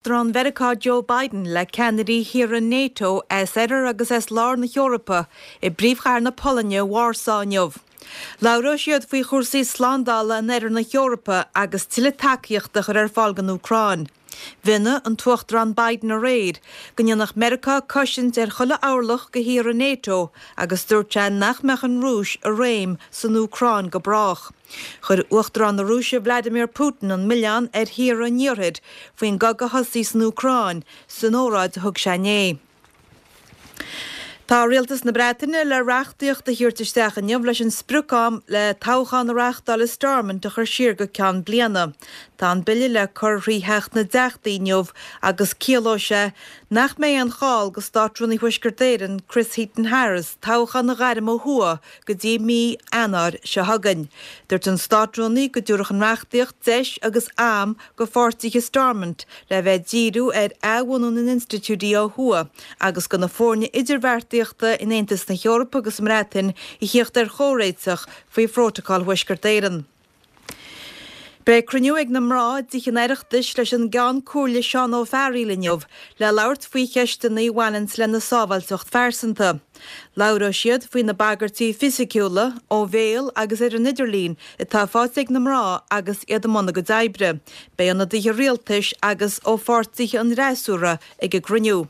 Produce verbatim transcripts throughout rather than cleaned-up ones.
Uachtarán Mheiriceá Joe Biden le ceannairí thíortha NATO as oirthear agus as lár na hEorpa i bpríomhchathair na Polainne Warsaw inniu. Labhróidh siad faoi chúrsaí slándála in oirthear na hEorpa agus tuilleadh tacaíochta a chur ar fáil don Úcráin. Mhionnaigh an tUachtarán Biden aréir go ndéanfadh Meiriceá cosaint ar chuile orlach de thíortha NATO agus dúirt sé nach mbeadh an Rúis i réim san Úcráin go brách. Chuir Uachtarán na Rúise Vladimir Putin an milleán ar thíortha an Iarthair faoin gcogadh a thosaigh san Úcráin san óráid a thug sé inné. Tá Rialtas na Breataine le reachtaíocht a thabhairt isteach inniu leis an sprioc-am le toghchán a reáchtáil i Stormont a chur siar go ceann bliana. Tá an bille le cur thrí Theach na dTeachtaí inniu agus ciallóidh sé nach mbeidh aon chall do Státrúnaí Thuaisceart Éireann Chris Heaton-Harris toghchán a ghairm ó thuaidh go dtí mí Eanáir seo chugainn. Dúirt an Státrúnaí go dtabharfadh an reachtaíocht deis agus am do pháirtithe Stormont le bheith ag díriú ar athbhunú na n-institiúidí ó thuaidh agus do na foirne idirbheartaíochta in Aontas na hEorpa agus sa mBreatain a theacht ar chomhréiteach faoi Phrótacal Thuaisceart Éireann. Beidh cruinniú ag na mná i dTithe an Oireachtais leis an gCeann Comhairle Seán Ó Fearghaíl inniu le labhairt faoi cheisteanna a bhaineanns lena sábháilteacht phearsanta. Labhróidh siad faoi na bagairtí fisiciúla, ó bhéal agus ar an idirlíon atá faighte ag na mná agus iad i mbun a gcuid oibre. Beidh ionadaithe rialtais agus ó pháirtithe an fhreasúra ag an gcruinniú.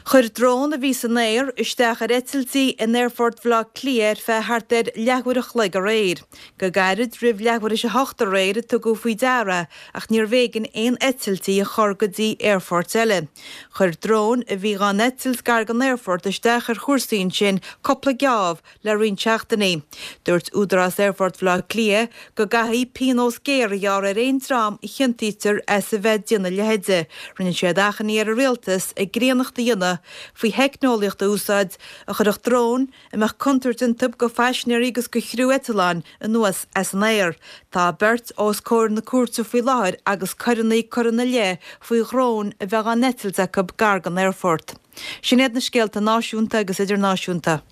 Chuir drón a bhí san aer isteach ar eitiltí in Aerfort Bhaile Átha Cliath ar feadh thart ar leathuair a chloig aréir. Go gairid roimh leathuair théis a hocht aréir a tugadh faoi deara ach níorbh éigean aon eitiltí a chur go dtí aerfoirt eile. Chuir dróin a bhí dhá n-eitilt gar don aerfort isteach ar chúrsaí ansin cúpla geábh le roinnt seachtainí. Dúirt Údarás Aerfort Bhaile Átha Cliath go gcaithfí pionós géar a ghearradh ar aon dream a chiontaítear as a bheith ag déanamh a leithéide. Rinne siad achainí ar an rialtas a gcríonnacht a dhéanamh faoi theicneolaíocht a úsáid a chuirfeadh dróin a mbeadh contúirt iontu do phaisinéirí agus do chriú eitleáin anuas as an aer. Tá beirt os comhair na cúirte faoi láthair agus coireanna curtha ina leith faoi dhróin a bheith á n-eitilt acu gar don aerfort. Sin iad na scéalta náisiúnta agus idirnáisiúnta.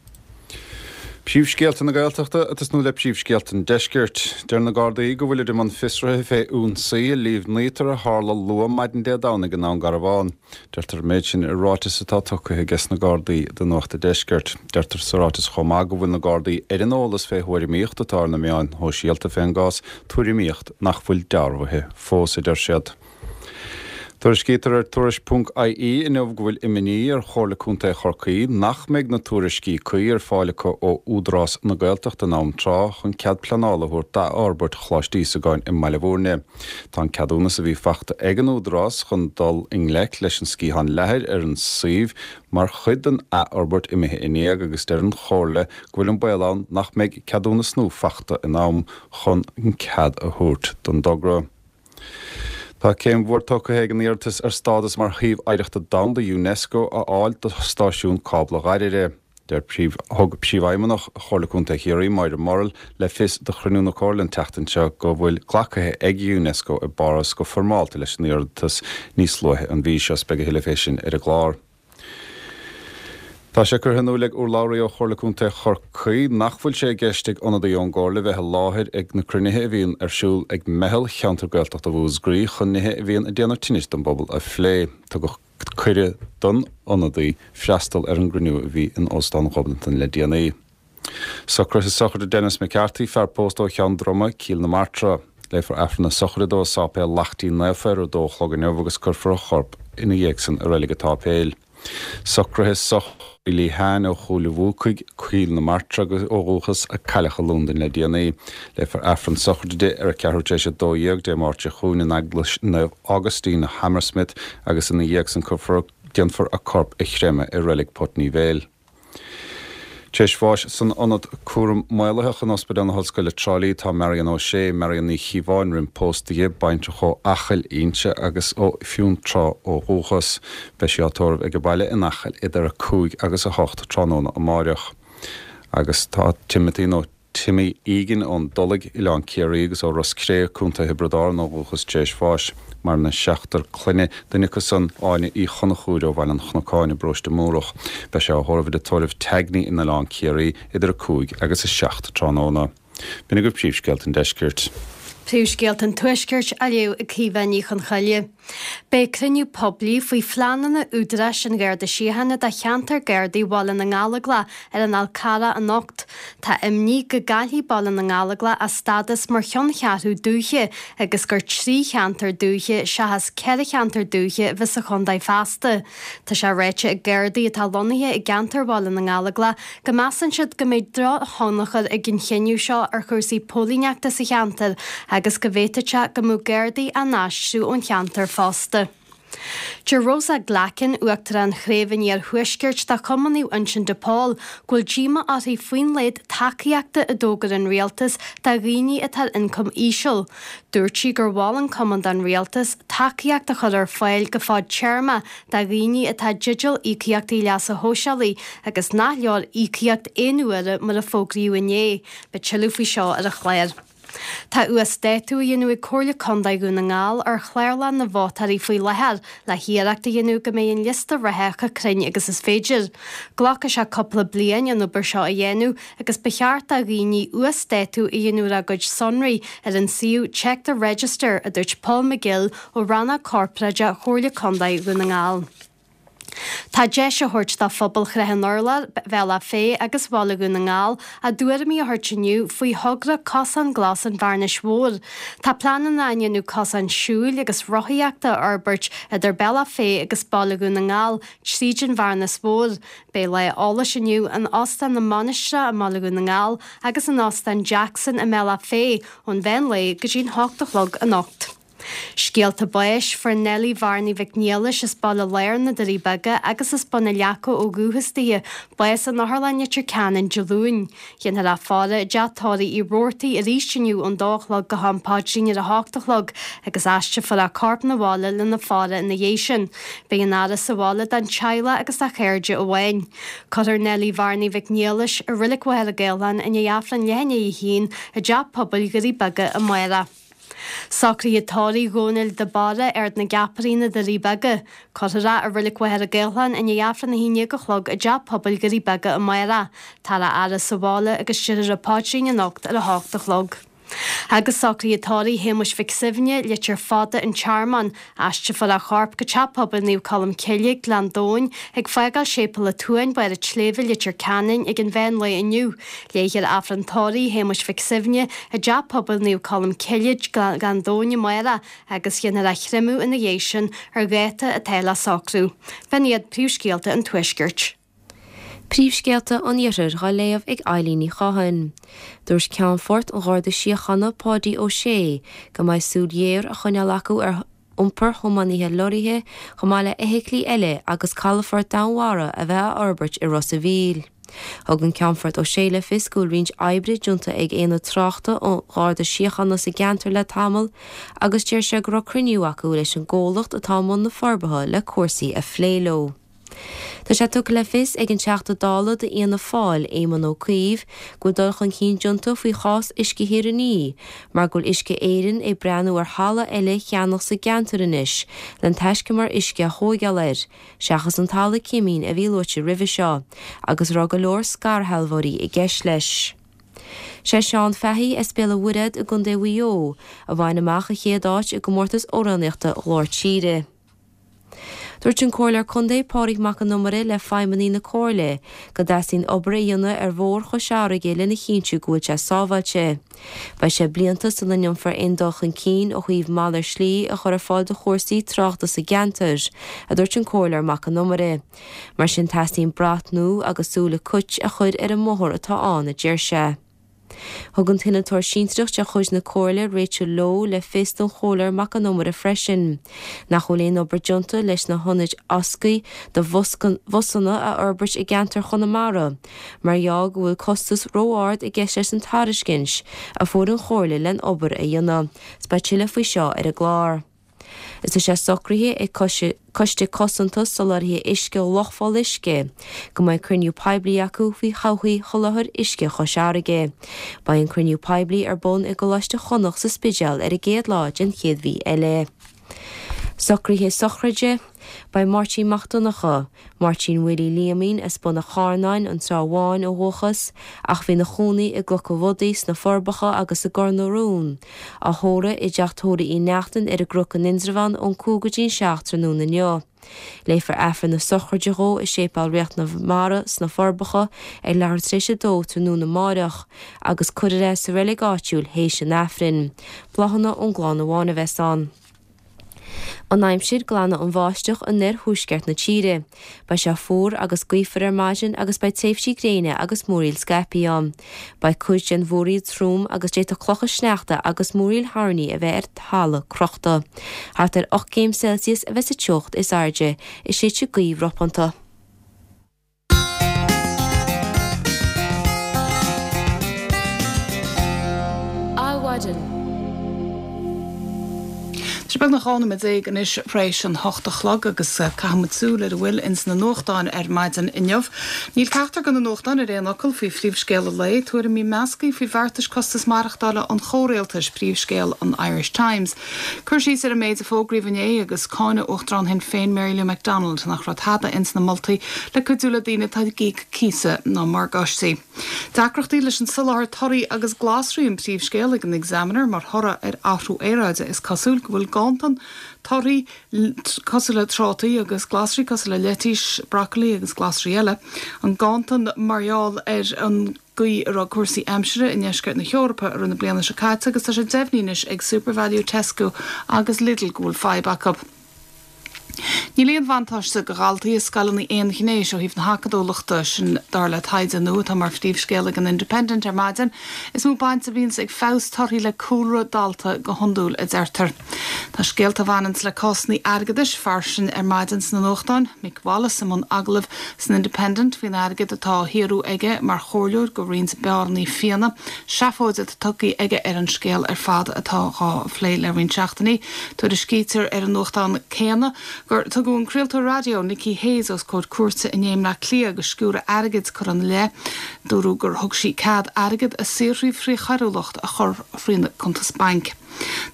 Príomhscéalta na Gaeltachta ag tosnú le príomhscéalta an Deiscirt. Deir na Gardaí go bhfuilid i mbun fiosraithe fé ionsaí i Sliabh nIotar a tharla luath maidin Dé Domhnaigh i nDún Garbhán. Deirtear an méid sin i ráiteas atá tugtha ages na Gardaí do Nuacht an Deiscirt. Deirtear sa ráiteas chomh maith go bhfuil na Gardaí ar an eolas fé thuairimíocht atá ar na meáin shóisialta fén gcás, tuairimíocht nach bhfuil dearbhaithe fós, a deir siad. Tuairiscítear ar Tuairisc ponc IE inniu go bhfuil imní ar Chomhairle Contae Chorcaí nach mbeidh na tuairiscí cuí ar fáil acu ó Údarás na Gaeltachta in am tráth chun cead pleanála a thabhairt d'athfhorbairt Choláiste Íosagáin i mBaile Bhúirne. Tá an ceadúnas a bhí fachta ag an Údarás chun dul i ngleic leis an sciathán leathair ar an suíomh mar chuid den athfhorbairt imithe in éag agus deir an Chomhairle go bhfuil an baol ann nach mbeidh ceadúnas nua fachta in am chun an cead a thabhairt don dtogra. Tá céim mhór tógtha ag an iarratas ar stádas mar Shuíomh Oidhreachta Domhanda Unesco a fháil do Stáisiún Cábla Dhoire. Deir príomh thug Príomhfheidhmeannach Chomhairle Contae Chiarraí, Máire Morrill, le fios do chruinniú na Comhairle an tseachtain seo go bhfuil glactha ag Unesco i bPáras go foirmeálta leis an iarratas níos luaithe an mhí seo. Beidh a thuilleadh fé sin ar an gclár. Tá sé curtha in iúl ag urlabhraí ó Chomhairle Contae Chorcaí nach bhfuil sé i gceist ag ionadaí ón gComhairle bheith i láthair ag na cruinnithe a bhíonn ar siúl ag Meitheal Cheantar Gaeltachta Mhúscraí chun nithe a bhíonn ag déanamh tinnis don bpobal a phlé. Tugadh cuireadh don ionadaí freastal ar an gcruinniú a bhí in Óstán Ghobnatan le déanaí. Socruithe sochraide Denis McCarthy, fear pósta ó Cheann Droma, Cill na Martra. Léifear Aifreann na sochraide dó i Sáipéal Laichtín Naofa ar a dó a chlog inniu agus cuirfear a chorp ina dhiaidh san i Reilig an tSáipéil. Socruithe sochraide Lehane ó Chúil an Bhuacaigh, Cill na Martra ó dhúchas, a cailleadh i Londain le déanaí. Léifear Aifreann sochraide di ar a ceathrú tar éis a dó dhéag Dé Máirt seo chugainn in Eaglais Naomh Augustine, Hammersmith agus ina dhiaidh san cuirfear déanfar a corp a chreimeadh i Reilig Putney Vale. Tar éis bháis san Ionad Cúram Maolaitheach in Ospidéal na hOllscoile Trá Lí tá Marion O'Shea, Marion Ní Chíobháin roimh póstaithe, baintreach ó Acaill Inse agus ó Fionntrá ó dhúchas. Beidh sí á tórramh ag a baile in Acaill idir a cúig agus a hocht tráthnóna amáireach. Agus tá Timothy nó Timmy Egan ón Dulaigh, Oileán Ciarraí agus ó Ros Cré, Contae Thiobraid Árann ó dhúchas tar éis bháis. Maireann a seachtar clainne, duine acu san, Áine Uí Chonchúir ó Bhaile an Chnocáin i bparóiste Múrach. Beidh sé á thórramh i dtórramh Tagney in Oileán Ciarraí idir a cúig agus a seacht tráthnóna. B'in agaibh príomhscéalta an deiscirt. Príomhscéalta an tuaiscirt á léamh ag Caoimhe Ní Chonchoille. Beidh cruinniú poiblí faoi phleananna Údaráis an Gharda Síochána do cheantar Gardaí Bhaile na nGallóglach ar an Fhál Carrach anocht. Tá imní go gcaillfidh Baile na nGallóglach a stádas mar cheanncheathrú dúiche agus gur trí cheantar dúiche seachas ceithre cheantar dúiche a bheas sa chontae feasta. Tá sé ráite ag Gardaí atá lonnaithe i gceantar Bhaile na nGallóglach go measann siad go mbeidh drochthionchar ag an chinneadh seo ar chúrsaí póilíneachta sa cheantar agus go bhféadfadh sé go mbeadh Gardaí á n-aistriú ón cheantar fosta. Deir Rosa Glackin, Uachtarán Chraobh an Iarthuaiscirt de Chumann Naomh Uinseann de Pól, go bhfuil díomá uirthi faoin laghad tacaíochta a d'fhógair an rialtas do dhaoine atá ar ioncam íseal. Dúirt sí gur mhol an cumann don rialtas tacaíocht a chur ar fáil go fadtéarma do dhaoine atá i dteideal íocaíochtaí leasa shóisialaigh agus nach leor íocaíocht aon uaire mar a fógraíodh inné. Beidh tuilleadh faoi seo ar an chlár. Tá uasdátú á dhéanamh ag Comhairle Contae Dhún na nGall ar chlárlann na vótóirí faoi láthair le hiarracht a dhéanamh go mbeidh an liosta reatha chomh cruinn agus is féidir. Glacfaidh sé cúpla bliain an obair seo a dhéanamh agus ba cheart do dhaoine uasdátú a dhéanamh ar a gcuid sonraí ar an suíomh Check the Register, a dúirt Paul McGill ó Rannóg Corparáideach Chomhairle Contae Dhún na nGall. Tá deis á thabhairt do phobal Shrath an Urláir, Bhealach Féich agus Bhaile Dhún na nGall a dtuairimí a thabhairt inniu faoi thogra Cosán Glas an Bhearnais Mhóir. Tá pleananna á ndéanamh cosán siúil agus rothaíochta a fhorbairt idir Bealach Féich agus Baile Dhún na nGall tríd an Bhearnas Mhór. Beidh lá eolais inniu in Óstán na Mainistreach i mBaile Dhún na nGall agus in Óstán Jackson i mBealach Féich ón mheán lae go dtí'n hocht a chlog anocht. Scéalta báis, Fuair Nellie Bhearnaí Mhic Niallais as Baile Láir na Doirí Beaga agus as Bun na Leaca ó dhúchas di, bás in Otharlann Leitir Ceanainn Dé Luain. Déanfar í a fhaire i dteach tórraimh Uí Robhartaigh arís inniu ón dó a chlog go ham paidrín ar a hocht a chlog agus aistreofar a corp 'na bhaile lena faire ina dhiaidh sin. Beidh an fhaire sa bhaile don teaghlach agus dá chairde amháin. Cuirfear Nellie Bhearnaí Mhic Niallais i Reilig Mhachaire Gathlán i ndiaidh Aifreann leath i ndiaidh a haon i dTeach Pobail Dhoirí Beaga amárach. Socruithe tórraimh Dhónaill de Barra, Ard na gCeapairí, na Doirí Beaga. Cuirfear é i Reilig Mhachaire Gathlán i ndiaidh Aifreann a haon déag a chlog i dTeach Pobail Dhoirí Beaga amárach. Táthar á fhaire sa bhaile agus déarfar an paidrín anocht ar a hocht a chlog. Agus socruithe tórraimh Shéamuis Mhic Suibhne, Leitir Fada, An Tearmann. Aistreofar a chorp go Teach Pobail Naomh Colm Cille, Gleann Domhain, ag fágáil Séipéal an tSuain, Barr an tSléibhe, Leitir Ceanainn, ag an mheán lae inniu. Léifear Aifreann tórraimh Shéamuis Mhic Suibhne i dTeach Pobail Naomh Colm Cille, Gleann Domhain amárach agus déanfar a chreimeadh ina dhiaidh sin ar dháta atá le socrú. B'in iad príomhscéalta an Tuaiscirt. Príomhscéalta an Iarthair dhá léamh ag Eilín Ní Chatháin. Dúirt Ceannfort an Gharda Síochána Páidí Ó Sé go mbeidh súil ghéar á choinneáil acu ar iompar thiománaithe lorraithe chomh maith le feithiclí eile agus calafort Domhainmhara a bheith á fhorbairt i Ros a' Mhíl. Thug an Ceannfort Ó Sé le fios go bhfuil roinnt oibre déanta ag Aonad Tráchta an Gharda Síochána sa gceantar le tamall agus deir sé go raibh cruinniú acu leis an gcomhlacht atá i mbun na forbartha le cúrsaí a phlé leo. Tá sé tugtha le fios ag an Teachta Dála d'Fhianna Fáil, Éamon Ó Cuív, go bhfuil dul chun cinn déanta faoi chás Uisce Thír an Fhia mar go bhfuil Uisce Éireann ag breathnú ar thalamh eile a cheannach sa gceantar anois len taiscumar uisce a thóigeáil air, seachas an talamh cimín a bhí luaite roimhe seo agus a raibh go leor scairshealbhóirí i gceist leis. Sé Seán Fahey as Béal an Mhuirthead i gContae Mhaigh Eo a bhain amach an chéad áit i gcomórtas amhránaíochta Ghlór Tíre. Dúirt an Comhairleoir Contae Pádraig Mac An Iomaire le feidhmeannaigh na Comhairle go dteastaíonn obair a dhéanamh ar Bhóthar Chois Fharraige lena chinntiú go bhfuil sé sábháilte. Beidh sé blianta sula ndéanfar aon dul chun cinn ó thaobh malairt slí a chur ar fáil do chúrsaí tráchta sa gceantar, a dúirt an Comhairleoir Mac An Iomaire. Mar sin teastaíonn brat nua agus súile cait a chur ar an mbóthar atá ann, a deir sé. Thug an t-innealtóir sinsearach de chuid na Comhairle, Rachel Lowe, le fios don Chomhairleoir Mac An Iomaire freisin nach bhfuil aon obair déanta leis na hionaid fhoscaidh do bhusanna a fhorbairt i gceantar Chonamara mar gheall go bhfuil costas ró-ard i gceist leis an tairiscint a fuair an Chomhairle len obair a dhéanamh. Beidh tuilleadh faoi seo ar an gclár. Is tá sé socraithe ag Coiste Cosanta Soláthraithe Uisce Loch Pholl Uisce go mbeidh cruinniú poiblí acu faoi thodhchaí sholáthar uisce Chois Fharraige. Beidh an cruinniú poiblí ar bun i gColáiste Chonnacht sa Spidéal ar an gcéad lá den chéad mhí eile. Socruithe sochraide, Beidh Máirtín Mac Donncha, Máirtín Willie Liamín as Bun an Charnáin, an Trá Bháin ó dhúchas, ach bhí ina chónaí i gCnoc an Bhodaigh, sna Forbacha agus i gCor na Rón, á thórramh i dTeach Tórraimh Uí Neachtain ar an gCnoc in Indreabhán ón cúig go dtí an seacht tráthnóna inniu. Léifear Aifreann na sochraide dhó i Séipéal Ríocht na Mara sna Forbacha ag leathuair tar éis a dó tráthnóna amáireach agus cuirfear é sa reilig áitiúil théis an Aifrinn. Bláthanna ón gclann amháin a bheas ann. An aimsir, Glanfaidh an bháisteach in oirthuaisceart na tíre. Beidh sé fuar agus gaofar ar maidin agus beidh tréimhsí gréine agus múraíl scaipthe ann. Beidh cuid den mhúraíl trom agus d'fhéadfadh clocha sneachta agus múraíl thoirní a bheith ar thalamh crochta. Thart ar ocht gcéim Celsius a bheas an teocht is airde is séidfidh gaoth ropánta. Adhmhaidin. Tá sé beagnach dhá nóiméad déag anois tar éis an hocht a chlog agus caithfidh muid súil ar a bhfuil ins na nuachtáin ar maidin inniu. Níl ceachtar de na nuachtáin ar aon fhocal faoi phríomhscéal an lae, tuairimí measctha faoi bheartais costas maireachtála an chomhrialtais, príomhscéal an Irish Times. Cur síos ar an méid a fógraíodh inné agus cáineadh Uachtarán Shinn Féin Mary Lou McDonald nach raibh tada ins na moltaí le cuidiú le daoine atá ag íoc cíosa ná morgáistí. Deacrachtaí leis an soláthar torthaí agus glasraí an príomhscéal ag an Examiner mar thoradh ar athrú aeráide is cosúil go bhfuil ganntan torthaí cosúil le trátaí agus glasraí cosúil le leitís, brocailí agus glasraí eile. An ganntan mar gheall ar an gcaoi a raibh cúrsaí aimsire i ndeisceart na hEorpa i rith na bliana seo caite agus tá sé deimhnithe anois ag SuperValu, Tesco agus Lidl go bhfuil fadhb acu. Níl aon bhuntáiste do dhaltaí i scoileanna aonghnéis ó thaobh na hacadúlachta, sin dar le taighde nua atá mar phríomhscéal ag an Independent ar maidin. Is mó baint a bhíonns ag feabhas torthaí le cúlra dalta go hiondúil, a deirtear. Tá scéalta a bhaineanns le cásanna airgeadais fairsing ar maidin sna nuachtáin. Mick Wallace i mbun agallaimh san Independent faoin airgead atá á shaothrú aige mar chomhairleoir do roinnt beáranna fíona. Seafóid atá tugtha aige ar an scéal ar fad atá dhá phlé le roinnt seachtainí. Tuairiscítear ar an nuachtán céanna gur tugadh an craoltóir raidió Nicky Hayes os comhair cúirte inné i mBleá Cliath agus sciúradh airgid curtha ina leith. Dúradh gur thug sí cead airgead a saothraíodh trí choiriúlacht a chur thrína cuntas bainc.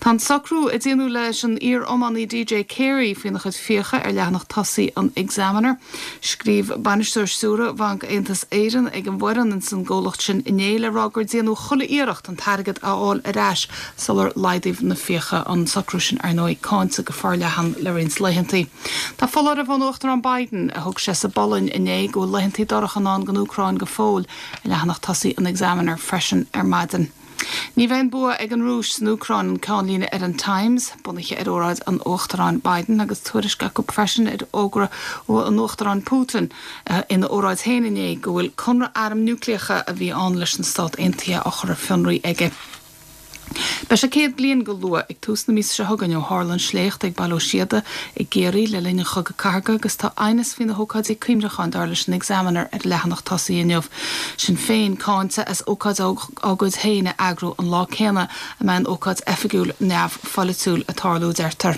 Tá an socrú a déanadh leis an iar-iománaí D J Carey faoina chuid fiacha ar leathanach tosaigh an Examiner. Scríobh bainisteoir stiúrtha Bhanc Aontas Éireann ag an bhfoireann ins an gcomhlacht sin inné le rá gur déanadh chuile iarracht an t-airgead a fháil ar ais sular laghdaíodh na fiacha. An socrú sin, ar ndóigh, cáinte go forleathan le roinnt laethanta. Tá foláireamh ón Uachtarán Biden a thug sé sa bPolainn inné go bhfuil laethanta dorcha i ndán don Úcráin go fóill ar leathanach tosaigh an Examiner freisin ar maidin. Ní bheidh an bua ag an Rúis san Úcráin an ceannlíne ar an Times, bunaithe ar óráid an Uachtaráin Biden agus tuairisc acu freisin ar fhógra an Uachtaráin Putin ina óráid féin inné go bhfuil conradh arm núicléacha a bhí ann leis na Stáit Aontaithe á chur ar fionraí aige. Beidh sé céad bliain go luath ag tús na míosa seo chugainn ó tharla an sléacht ag Baile Ó Síoda i gCiarraí le linn an Chogaidh Cathartha agus tá aighneas faoi na hócáidí cuimhneacháin dar leis an Examiner ar a leathanach tosaigh inniu. Sinn Féin cáinte as ócáid á gcuid féin a eagrú an lá céanna a mbeidh an ócáid oifigiúil neamhpholaitiúil ag tarlú, deirtear.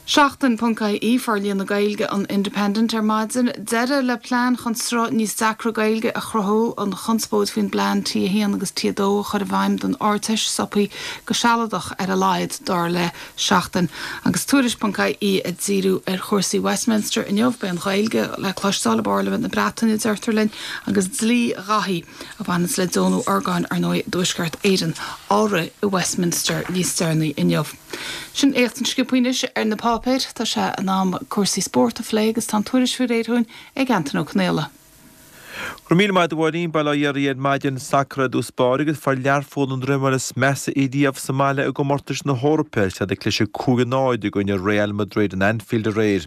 Seachtain ponc I E Forlíonadh na Gaeilge an Independent ar maidin. Deireadh le plean chun sruth níos deacra Gaeilge a chruthú, an chonspóid faoin bplean T a haon agus T a dó a chur i bhfeidhm don Ardteist stoptha go sealadach ar a laghad, dar le Seachtain. Agus Tuairisc ponc I E ag díriú ar chúrsaí Westminster inniu, beidh an Ghaeilge le cloisteáil i bParlaimint na Breataine, deirtear linn, agus dlí Dhaithí, a bhaineanns le deonú orgáin, ar ndóigh, i dTuaisceart Éireann, á rith i Westminster níos deireanaí inniu. Sin éachtaint sciobtha anois ar na páipéir. Tá sé in am cúrsaí spóirt a phlé agus tá an tuairisc faoi réir dúinn ag Antain Ó Conaola. Go raibh míle maith agat a Mháirín, Bail ó Dhia oraibh ar maidin. Sacar i dtús báire agus fuair Learpholl an droimeáil is measa riamh sa mbaile i gcomórtais na hEorpa is iad ag cliseadh cúig a náid i gcoinne Real Madrid in Anfield aréir.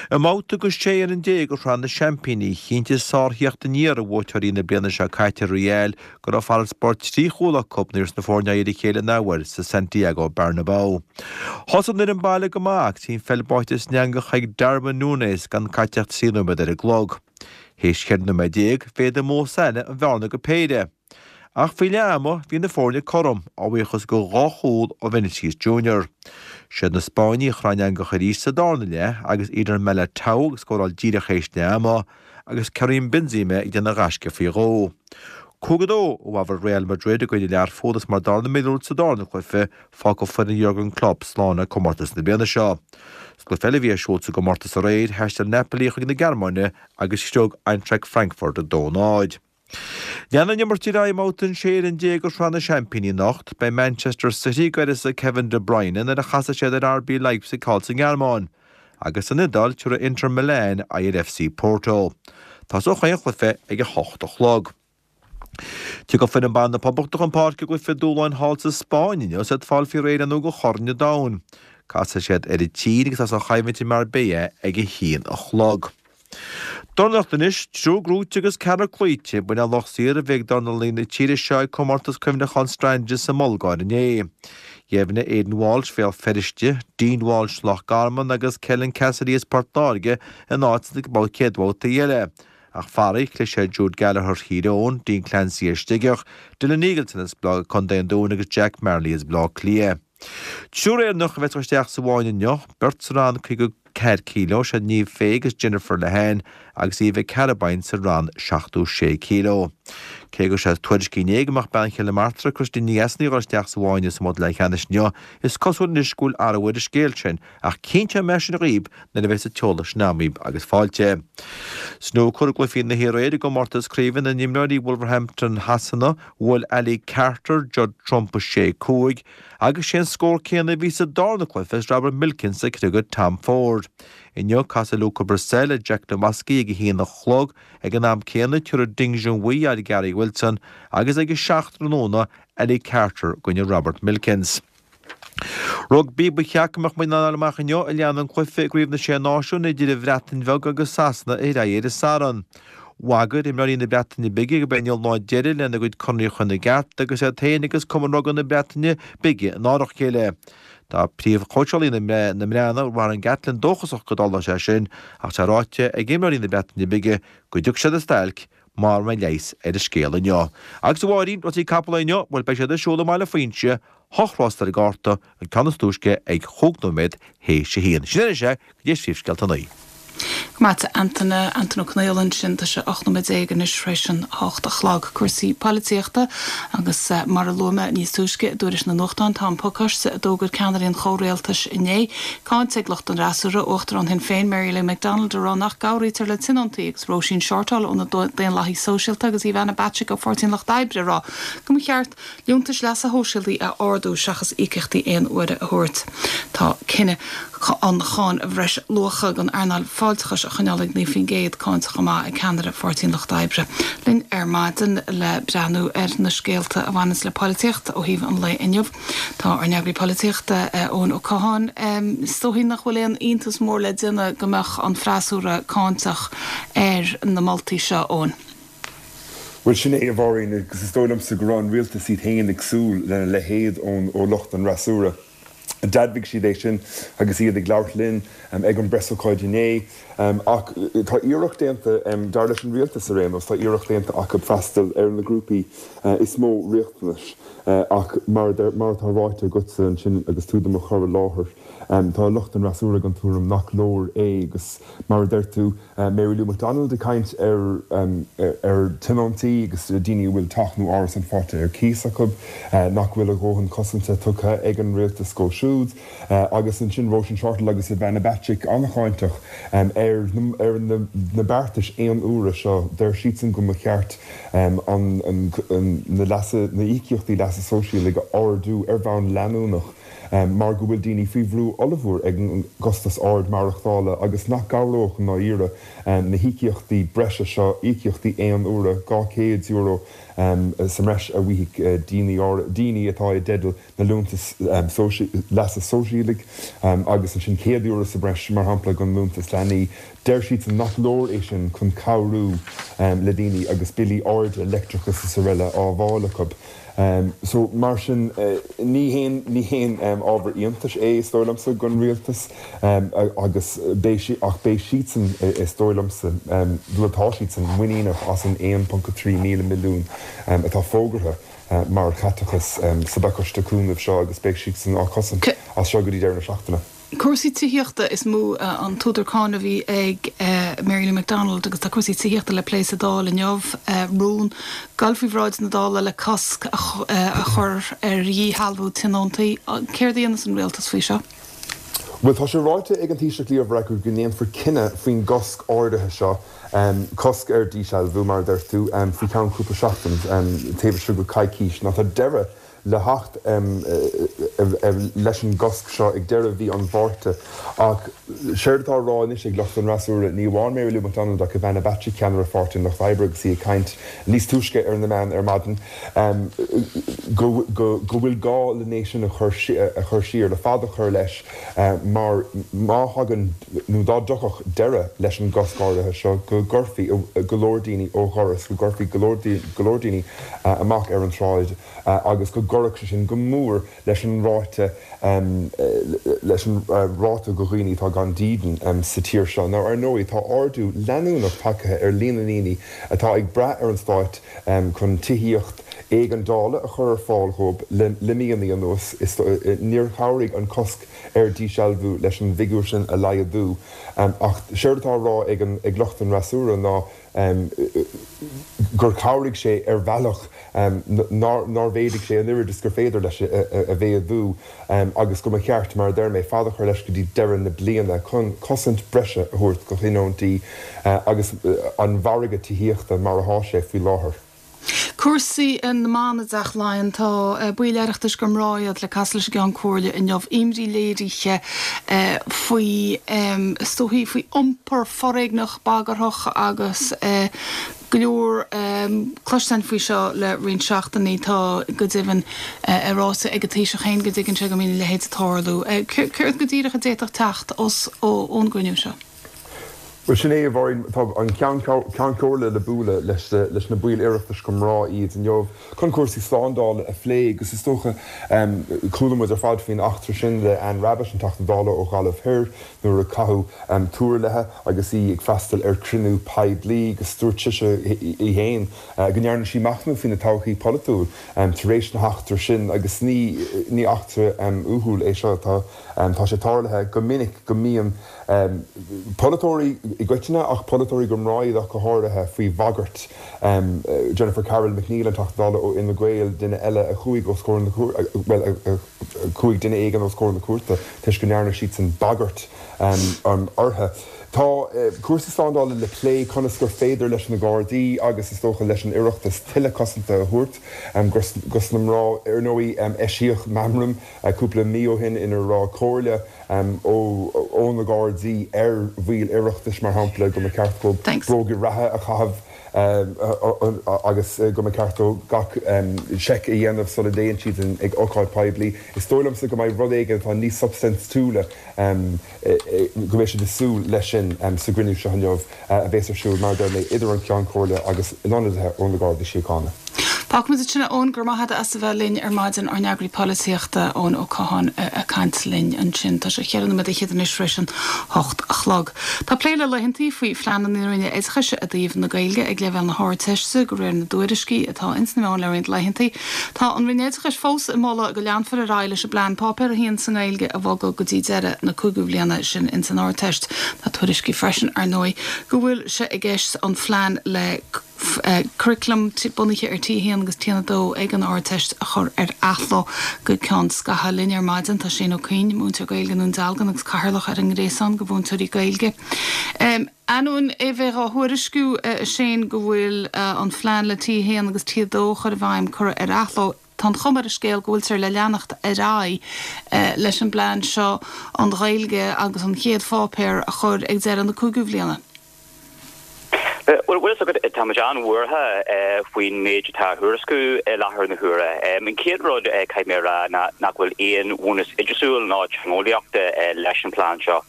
I mbabhta go sé fhoireann déag de Shraith na Seaimpíní, chinntigh sártheacht aniar ar bhuaiteoirí na bliana seo caite, Real, go raibh farasbarr trí chúl acu nuair a bheas na foirne aghaidh ar a chéile an athuair sa Santiago Bernabeu. Thosaigh an fhoireann baile go maith agus bhí an pheil báite san eangach ag Darwin Núñez gan caite ach trí nóiméad ar an gclog. Théis cheithre nóiméad déag, mhéadaigh Mo Salah an bhearna go péire. Ach faoi leath ama, bhí na foirne cothrom, a bhuíochas go dhá chúl ó Vinicius Junior. Siad na Spáinnigh a chraith an eangach arís sa darna leath agus Eder Militao ag scóráil díreach théis leath ama agus Karim Benzema ag déanamh gaisce faoi dhó. Cúig a dó i bhfabhar Real Madrid i gcoinne Learpholl agus mar dar le Míorúilt sa darna cluiche, fágfaidh foireann Jurgen Klopp slán le comórtas na bliana seo. Sa gcluiche eile a bhí ar siúl sa gcomórtas aréir, thaistil Napoli chuig na Gearmáine agus shroich Eintracht Frankfurt a dó náid. Leanfaidh an imirt ar aghaidh i mbabhta an sé fhoireann déag de Shraith na Seaimpíní anocht. Beidh Manchester City ag uireasa Kevin De Bruyne nuair a chasfaidh siad ar RB Leipzig thall sa nGearmáin. Agus san Iodáil, tabharfaidh Inter Milan aghaidh ar FC Porto. Tosóidh chaon chluiche ag a hocht a chlog. Tiocfaidh foireann ban na Poblachta chun páirce i gcluiche dúshláin thall sa Spáinn inniu is iad ag fáil faoi réir ar ndóigh do Chorn an Domhain. Casfaidh siad ar an tSín agus tosóidh an choimhlint i Marbella ag a haon a chlog. Dornálaíocht anois, triúr gnóite agus ceathrar cloíte, b'in an lucht saothair a bhí ag dornálaithe na tíre seo ag comórtas cuimhneacháin Strandja sa mBulgáir inné. Dheimhnigh Aidan Walsh Bhéal Feirste, Dean Walsh Loch Garman agus Kelyn Cassidy as Port Láirge a n-áit sna chéad bhabhtaí eile. Ach faraor, chlis ar Jude Gallagher Thír Eoghain, Dean Clancy as Sligeach, Dylan Eagleton as Contae an Dúin agus Jack Marley as Baile Átha Cliath. Triúr Éireannach a bheas ag dul isteach sa bhfáinne inniu, beirt sa rang caoga ceathair kíló, siad Niamh Fay agus Jennifer Lehane agus Eva Carrabine sa rang seachtó sé kíló. Cé go raibh sé tuairiscithe inné go mbeadh bean chéile Martra, Christine Ní Neasain ag dul isteach sa bhfáinne sa mbabhta leathcheannais inniu, is cosúil anois go bhfuil athrú ar an scéal sin, ach cinnteoidh mé sin dhaoib nuair a bheas an t-eolas sin agam dhaoib agus fáilte. Snúcar i gcluichí na hiarraidh i gcomórtas craoibhe na n-imreoirí Wolverhampton Shasana, bhuail Ali Carter Judd Trump a sé cúig agus sé an scór céanna a bhí sa darna cluiche is Robert Milkins ag criogadh Tom Ford. Inniu casfaidh Luca Brecel le Jack Lemoski ag a haon a chlog, ag an am céanna tabharfaidh Ding Junhui aghaidh ar Gary Wilson agus ag a seacht tráthnóna Ali Carter i gcoinne Robert Milkins. Rugbaí, Ba cheart go mbeadh muid in ann a fháil amach inniu a leanfaidh an cluiche i gCraobh na Sé Náisiún idir an Bhreatain Bheag agus Sasana ar aghaidh ar an Satharn. Bhagair imreoirí na Breataine Bige gurb é inniu an lá deiridh lena gcuid conarthaí a chur ina gceart agus iad féin agus Cumann Rugbaí na Breataine Bige in árach a chéile. Tá príomhchóitseálaí na mBreatnach, Warren Gatland, dóchasach go dtarlóidh sé sin ach tá ráite ag imreoirí na Breataine Bige go dtiocfaidh siad ar stailc mura mbeidh leigheas ar an scéal inniu. Agus a Mháirín, rásaí capall inniu, bhuel beidh siad ar siúl i mBaile Phuinse, hocht rás ar an gcárta, an ceann is túisce ag chúig nóiméad théis a haon. Sin anois é, go dtí Príomhscéalta a naoi. Go maith, Antaine, Antaine Ó Conghaile ansin, tá sé ocht nóiméad déag anois tar éis an hocht a chlog. Cúrsaí polaitíochta agus mar a luaigh mé níos túisce i dtuairisc na nuachtán, tá an pacáiste a d'fhógair ceannairí an chomhrialtais inné cáinte ag lucht an fhreasúra, Uachtarán Shinn Féin Mary Lou McDonald ag rá nach gcabhraítear le tionóntaí agus Róisín Shortall ó na Daonlathaithe Sóisialta agus Ivana Bacik ó Pháirtí an Lucht Oibre ag rá go mba cheart liúntais leasa shóisialaigh a ardú seachas íocaíochtaí aon uaire a thabhairt. Tá cinneadh an cháin bhreisluacha don earnáil fáilteachais a choinneáil ag naoi faoin gcéad cáinte chomh maith ag ceannaire Pháirtí an Lucht Oibre. Linn ar maidin le breathnú ar na scéalta a bhaineanns le polaitíocht ó thaobh an lae inniu tá ár n-eagraí polaitíochta Eoin Ó Catháin. Is dóigh nach bhfuil aon iontas mór le déanamh go mbeadh an freasúra cáinteach ar na moltaí seo, Eoin. Bhuel, sin é, a Mháirín, agus is dóigh liomsa go raibh an rialtas iad féin ag súil lena leithéid ón ó lucht an fhreasúra. D'admhaigh siad é sin agus iad ag labhairt linn ag an bpreasócáid inné. Ach tá iarracht déanta, dar leis an rialtas ar aon nós, tá iarracht déanta acu freastal ar na grúpaí is mó riachtanais. Ach mar mar atá ráite agatsa ansin agus tú do mo chur i láthair, tá lucht an fhreasúra den tuairim nach leor é agus mar a deir tú, Mary Lou McDonald ag caint ar ar tionóntaí agus daoine a bhfuil teach nó árasán faighte ar cíos acu, nach bhfuil a dhóthain cosanta tugtha ag an rialtas dóibh siúd. Agus ansin Róisín Shortall agus Ivana Bacik an-cháinteach ar ar na beartais aon uaire seo. Deir siadsan go mba cheart an na leasa na íocaíochtaí leasa sóisialaigh a ardú ar bhonn leanúnach. mar go bhfuil daoine faoi bhrú ollmhór ag an gcostas ard maireachtála agus nach gcabhródh i ndáiríre na híocaíochtaí breise seo, íocaíochtaí aon uaire, dhá chéad euro sa mbreis a bhfaighidh daoine daoine atá i dteideal na liúntas leasa sóisialaigh agus ansin céad euro sa bhreis, mar shampla, don liúntas leanaí. Deir siadsan nach leor é sin chun cabhrú le daoine agus billí arda leictreachais is araile á bhfáil acu. So, mar sin, ní haon, ní haon ábhar iontais é, is dóigh liomsa, don rialtas agus beidh sí, ach beidh siadsan, is dóigh liomsa, bhuel tá siadsan muiníneach as an aon ponc a trí míle milliún atá fógartha mar chaiteachas sa bpacáiste cúnaimh seo agus beidh siadsan á cosaint as seo go dtí deireadh na seachtaine. Cúrsaí tithíochta is mó an t-údar cáinte a bhí ag Mary Lou McDonald agus tá cúrsaí tithíochta le plé sa Dáil inniu, rún ag gabháil faoi bhráid na Dála le cosc a chur ar dhíshealbhú tionóntaí. Céard a dhéanfas an rialtas faoi seo? Bhuel, tá sé ráite ag an Taoiseach Leo Varadkar go ndéanfar cinneadh faoin gcosc áirithe seo, cosc ar dhíshealbhú, mar a deir tú, faoi cheann cúpla seachtain, taobh istigh de choicís. Now tá deireadh le theacht leis an gcosc seo ag deireadh mhí an Mhárta ach séard atá á rá anois ag lucht an fhreasúra, ní amháin Mary Lou McDonald ach Ivana Bacik, ceannaire Pháirtí an Lucht Oibre agus í ag caint níos túisce ar na meáin ar maidin, go bhfuil gá len é sin a chur siar, le fad a chur leis mar má thagann nó dá dtiocfadh deireadh leis an gcosc áirithe seo go gcuirfí go leor daoine ó dhoras, go gcuirfí go leor daoine amach ar an tsráid. agus go gcuirfeadh sé sin go mór leis an ráta leis an ráta de dhaoine atá gan dídean sa tír seo. Now ar ndóigh tá ardú leanúnach tagtha ar líon na ndaoine atá ag brath ar an stát chun tithíocht éigeandála a chur ar fáil dhóibh le míonna anuas. Níor chabhraigh an cosc ar dhíshealbhú leis an bhfigiúr sin a laghdú ach séard atá á rá ag lucht an fhreasúra ná gur chabhraigh sé ar bhealach nár mhéadaigh sé an oiread is gur féidir leis a mhéadú agus go mba cheart, mar a deir mé, fad a chur leis go dtí deireadh na bliana chun cosaint breise a thabhairt do thionóntaí agus an mhargadh tithíochta mar atá sé faoi láthair. Cúrsaí na mban i dTeach Laighean, Tá baill Oireachtais gur mná iad le casadh leis an gCeann Comhairle inniu. Imní léirithe faoi, is dóichí, faoi iompar foréigneach bagarthach agus go leor cloisteáin faoi seo le roinnt seachtainí. Tá, go deimhin, é ráite ag an Taoiseach féin go dtuigeann sé go mbíonn a leithéid ag tarlú. Céard go díreach a d'fhéadfadh teacht ón gcruinniú seo? Bhuel, sin é, a Mháirín. Tá an Ceann Comhairle le bualadh leis leis na baill Oireachtais gur mná iad inniu chun cúrsaí slándála a phlé agus is dócha, chuala muid ar fad faoin eachtra sin le Anne Rabbitte, an Teachta Dála ó Ghaillimh Thoir, nuair a caitheadh tuar léi agus í ag freastal ar chruinniú poiblí agus dúirt sise í féin go ndearna sí machnamh faoina todhchaí polaitiúil tar éis na heachtra sin agus ní ní eachtra uathúil é seo. Tá tá sé tarlaithe go minic go mbíonn polaiteoirí i gcoitinne, ach polaiteoirí gur mná iad ach go háirithe, faoi bhagairt. Jennifer Carroll MacNeill, an Teachta Dála ó Fhine Gael, duine eile a chuaigh os comhair na cúirte, bhuel, a chuaigh duine éigin os comhair na cúirte toisc go ndearna siadsan bagairt orthu. Tá cúrsaí slándála le plé, conas gur féidir leis na Gardaí agus is dócha leis an Oireachtas tuilleadh cosanta a thabhairt dos na mná. Ar ndóigh, eisíodh meamram cúpla mí ó shin ina raibh comhairle ó na Gardaí ar bhaill Oireachtais, mar shampla, go mba cheart dóibh bróga reatha a chaitheamh agus go mba cheart dóibh gach seic a dhéanamh sula dtéann siad ag ócáid poiblí. Is dóigh liomsa go mbeidh rud éigin atá níos substaintiúla, go mbeidh siad ag súil leis sin sa gcruinniú seo inniu a bheas ar siúl, mar a deir mé, idir an Ceann Comhairle agus ionadaithe ó na Gardaí Síochána. Fágfaimid ansin é, Eoin, go raibh maith agat as a bheith linn ar maidin, ár n-eagraí polaitíochta, Eoin Ó Catháin, ag caint linn ansin. Tá sé cheithre nóiméad fhichead anois tar éis an hocht a chlog. Tá plé le laethantaí faoi phlean na Roinne Oideachais i dtaobh na Gaeilge ag leibhéal na hArdteiste, de réir na dtuairiscí atá ins na meáin le roinnt laethantaí. Tá an Roinn Oideachais fós ag moladh go leanfar ar aghaidh leis an bplean Páipéar a haon sa nGaeilge a bhogadh go dtí deireadh na cúigiú bliana, sin ins an Ardteist. Tá tuairiscí freisin, ar ndóigh, go bhfuil sé i gceist an phlean le curaclam bunaithe ar T a haon agus T a dó ag an Ardteist a chur ar athló go ceann scaithimh. Linn ar maidin tá Shane Ó Cuinn, múinteoir Gaeilge i nDún Dealgan agus cathaoirleach ar an nGréasán de Mhúinteoirí Gaeilge. Ainneoin é bheith á thuairisciú, a Shane, go bhfuil an phlean le T a haon agus T a dó a chur i bhfeidhm curtha ar athló, tá an chuma ar an scéal go bhfuiltear le leanacht ar aghaidh leis an bplean seo an Ghaeilge agus an chéad pháipéar a chur ag deireadh na cúigiú bhliana. Bhuel, bhfuil fhios agat, tá muid an-bhuartha faoin méid atá á thuairisciú i láthair na huaire. An chéad rud, caithfidh mé a rá, ná nach bhfuil aon bhunús oideachasúil ná teangeolaíochta leis an bplean seo.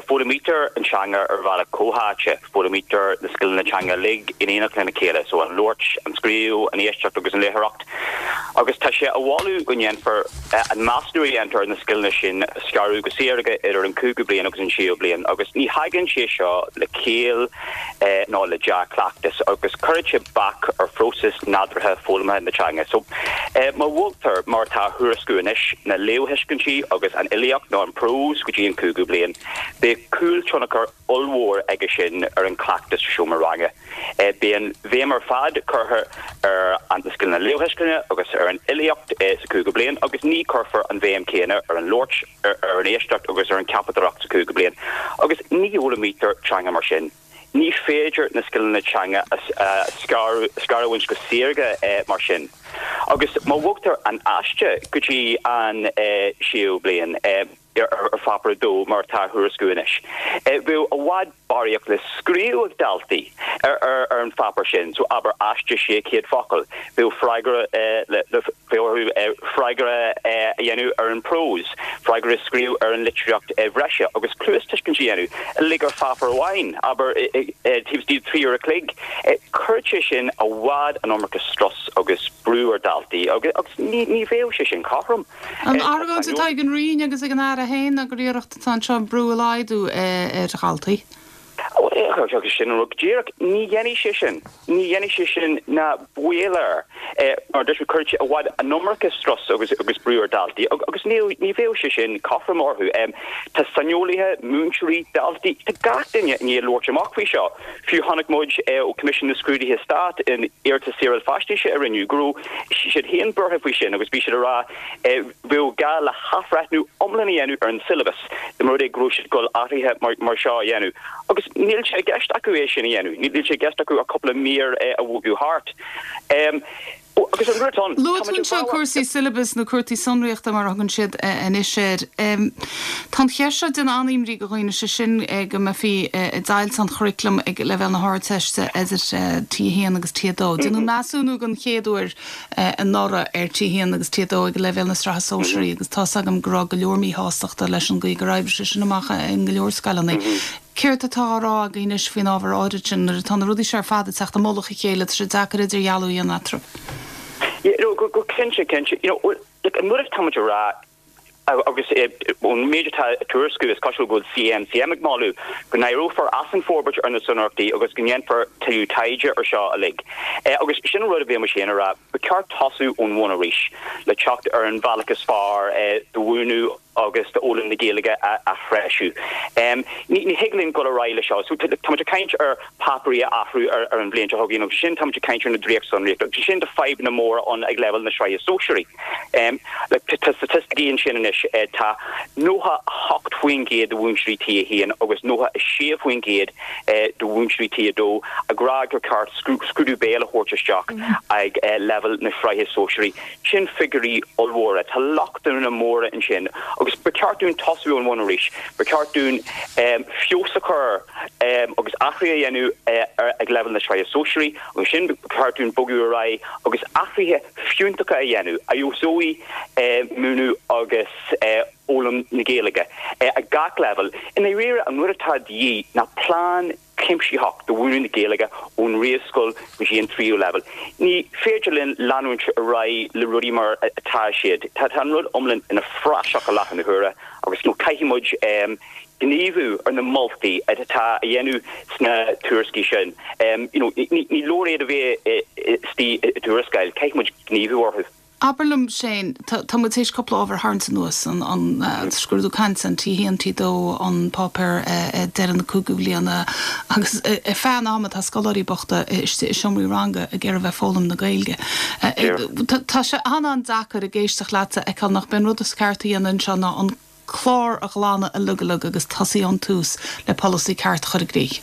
Foghlaimítear an teanga ar bhealach comhtháite, foghlaimítear na scileanna teanga uilig in éineacht lena chéile, so an labhairt, an scríobh, an éisteacht agus an léitheoireacht. Agus tá sé á mholadh go ndéanfar an measúnú a dhéantar ar na scileanna sin a scaradh go saorga idir an cúigiú bliain agus an séú bliain agus ní thagann sé seo le ciall ná le dea-chleachtas agus cuireann sé bac ar phróiseas nádúrtha foghlamtha na teanga. So má bhogtar, mar atá á thuairisciú anois, na léamhthuiscintí agus an fhilíocht nó an prós go dtí an cúigiú bliain, beidh cúltionchar ollmhór aige sin ar an gcleachtas sa seomra ranga. Beidh an bhéim ar fad curtha ar na scileanna léamhthuisceana agus ar an fhilíocht sa cúigiú bliain agus ní chuirfear an bhéim chéanna ar an labhairt, ar an éisteacht agus ar an cheapadóireacht sa cúigiú bliain. Agus ní fhoghlaimítear teanga mar sin. Ní féidir na scileanna teanga a scarúint go saorga mar sin. Agus má bhogtar an aiste go dtí an séú bliain, ar Pháipéar a Dó mar atá á thuairisciú anois. Bheadh i bhfad barraíocht le scríobh ag daltaí ar an pháipéar sin, so abair aiste sé chéad focal, bheadh freagra le bheadh orthu freagra a dhéanamh ar an bprós, freagra a scríobh ar an litríocht bhreise agus cluastuiscint a dhéanamh uilig ar pháipéar amháin, abair taobh istigh de trí uair a chloig. Chuirfeadh sé sin i bhfad an iomarca strus agus brú ar dhaltaí agus ní bheadh sé sin cothrom. An argóint atá ag an Roinn agus ag an Aire féin ná gur iarracht atá anseo brú a laghdú ar dhaltaí. Agus sin an rud go díreach. Ní dhéanfaidh sé sin. Ní dhéanfaidh sé sin ná baol air. Mar dúirt mé, cuirfidh sé i bhfad an iomarca strus agus agus brú ar dhaltaí agus ní ní bheadh sé sin cothrom orthu. Tá saineolaithe, múinteoirí, daltaí, tá gach duine i ndiaidh labhairt amach faoi seo. Fiú chonaic muid ó Coimisiún na Scrúduithe Stáit in iarratas saoráil faisnéise a rinneadh go raibh siad féin buartha faoi sin agus bhí siad ag rá bheadh gá le hathbhreithniú iomlán a dhéanamh ar an siollabas dá mba rud é go raibh siad ag dul athruithe mar seo a dhéanamh. Agus níl sé i gceist acu é sin a dhéanamh. Níl sé i gceist acu ach cúpla mír a bhogadh thart. Agus an rud ann, Luaigh tú anseo cúrsaí syllabus nó cúrsaí sonraíochta mar a thugann siad anois air. Tá an cheist seo ag déanamh an-imní do dhaoine, sé sin go mbeifí ag deighilt an churaclaim ag leibhéal na hArdteiste idir T a haon agus T a dó. Déanadh measúnú den chéad uair anuraidh ar T a haon agus T a dó ag leibhéal na sraithe sóisearaí agus tá's agam go raibh go leor míshástachta leis an gcaoi gur oibrigh sé sin amach in go leor scoileanna. Céard atá á rá agaibh anois faoin ábhar áirid sin nuair atá na rudaí seo ar fad ag teacht i mullach a chéile, tá sé deacair idirdhealú a dhéanamh eatarthu. Yeah, no, go, go cinnte, cinnte. You know, look, an rud atá muid a rá agus ón méid atá á tuairisciú is cosúil go bhfuil CNCM ag moladh go n-éireofar as an bhforbairt ar na sonraíochtaí agus go ndéanfar tuilleadh taighde ar seo uilig. Agus sin an rud a bhí mise féin a rá, ba cheart tosú ón bhun arís le teacht ar an bhealach is fearr do mhúineadh agus d'fhoghlaim na Gaeilge a threisiú. Ní thig linn dul ar aghaidh le seo. So tá muid ag caint ar páipéirí a athrú ar an bhliain seo chugainn agus ansin tá muid ag caint ar na dréachtsonraíochtaí agus ansin tá fadhbanna móra ann ag leibhéal na sraithe sóisearaí. Tá staitisticí ansin anois, tá nócha a hocht faoin gcéad de mhúinteoirí T a haon agus nócha a sé faoin gcéad de mhúinteoirí T a dó ag rá gur ceart scrúdú béil a thabhairt isteach ag leibhéal na sraithe sóisearaí. Sin figiúirí ollmhóra. Tá lochtanna móra ansin agus ba cheart dúinn tosú ón bhun arís. Ba cheart dúinn feabhas a chur agus athruithe a dhéanamh ag leibhéal na sraithe sóisearaí agus ansin ba cheart dúinn bogadh ar aghaidh agus athruithe fiúntacha a dhéanamh a fheabhsóidh múineadh agus foghlaim na Gaeilge ag gach leibhéal. I ndáiríre, an rud atá de dhíth ná plean cuimsitheach do mhúineadh na Gaeilge ón réamhscoil go dtí an tríú leibhéal. Ní féidir linn leanúint ar aghaidh le rudaí mar atá siad. Tá an rud iomlán ina phraiseach i láthair na huaire agus caithfidh muid gníomhú ar na moltaí atá á dhéanamh sna tuairiscí sin. Ní leor iad a bheith istigh i dtuarascáil, caithfidh muid gníomhú orthu. Abair liom, Shane, tá muid théis cúpla ábhar a tharraingt anuas, an scrúdú cainte, an T a haon, T dó, an páipéar ag deireadh na cúigiú bliana agus ar feadh an ama tá scoláirí bochta istigh i seomraí ranga ag iarraidh bheith ag foghlaim na Gaeilge. Tá sé an-an-deacair ag éisteacht leat a fheiceáil nach b'é an rud is ceart a dhéanamh anseo ná an clár a ghlanadh uilig uilig agus tosaí ón tús le polasaí ceart a chur i gcrích.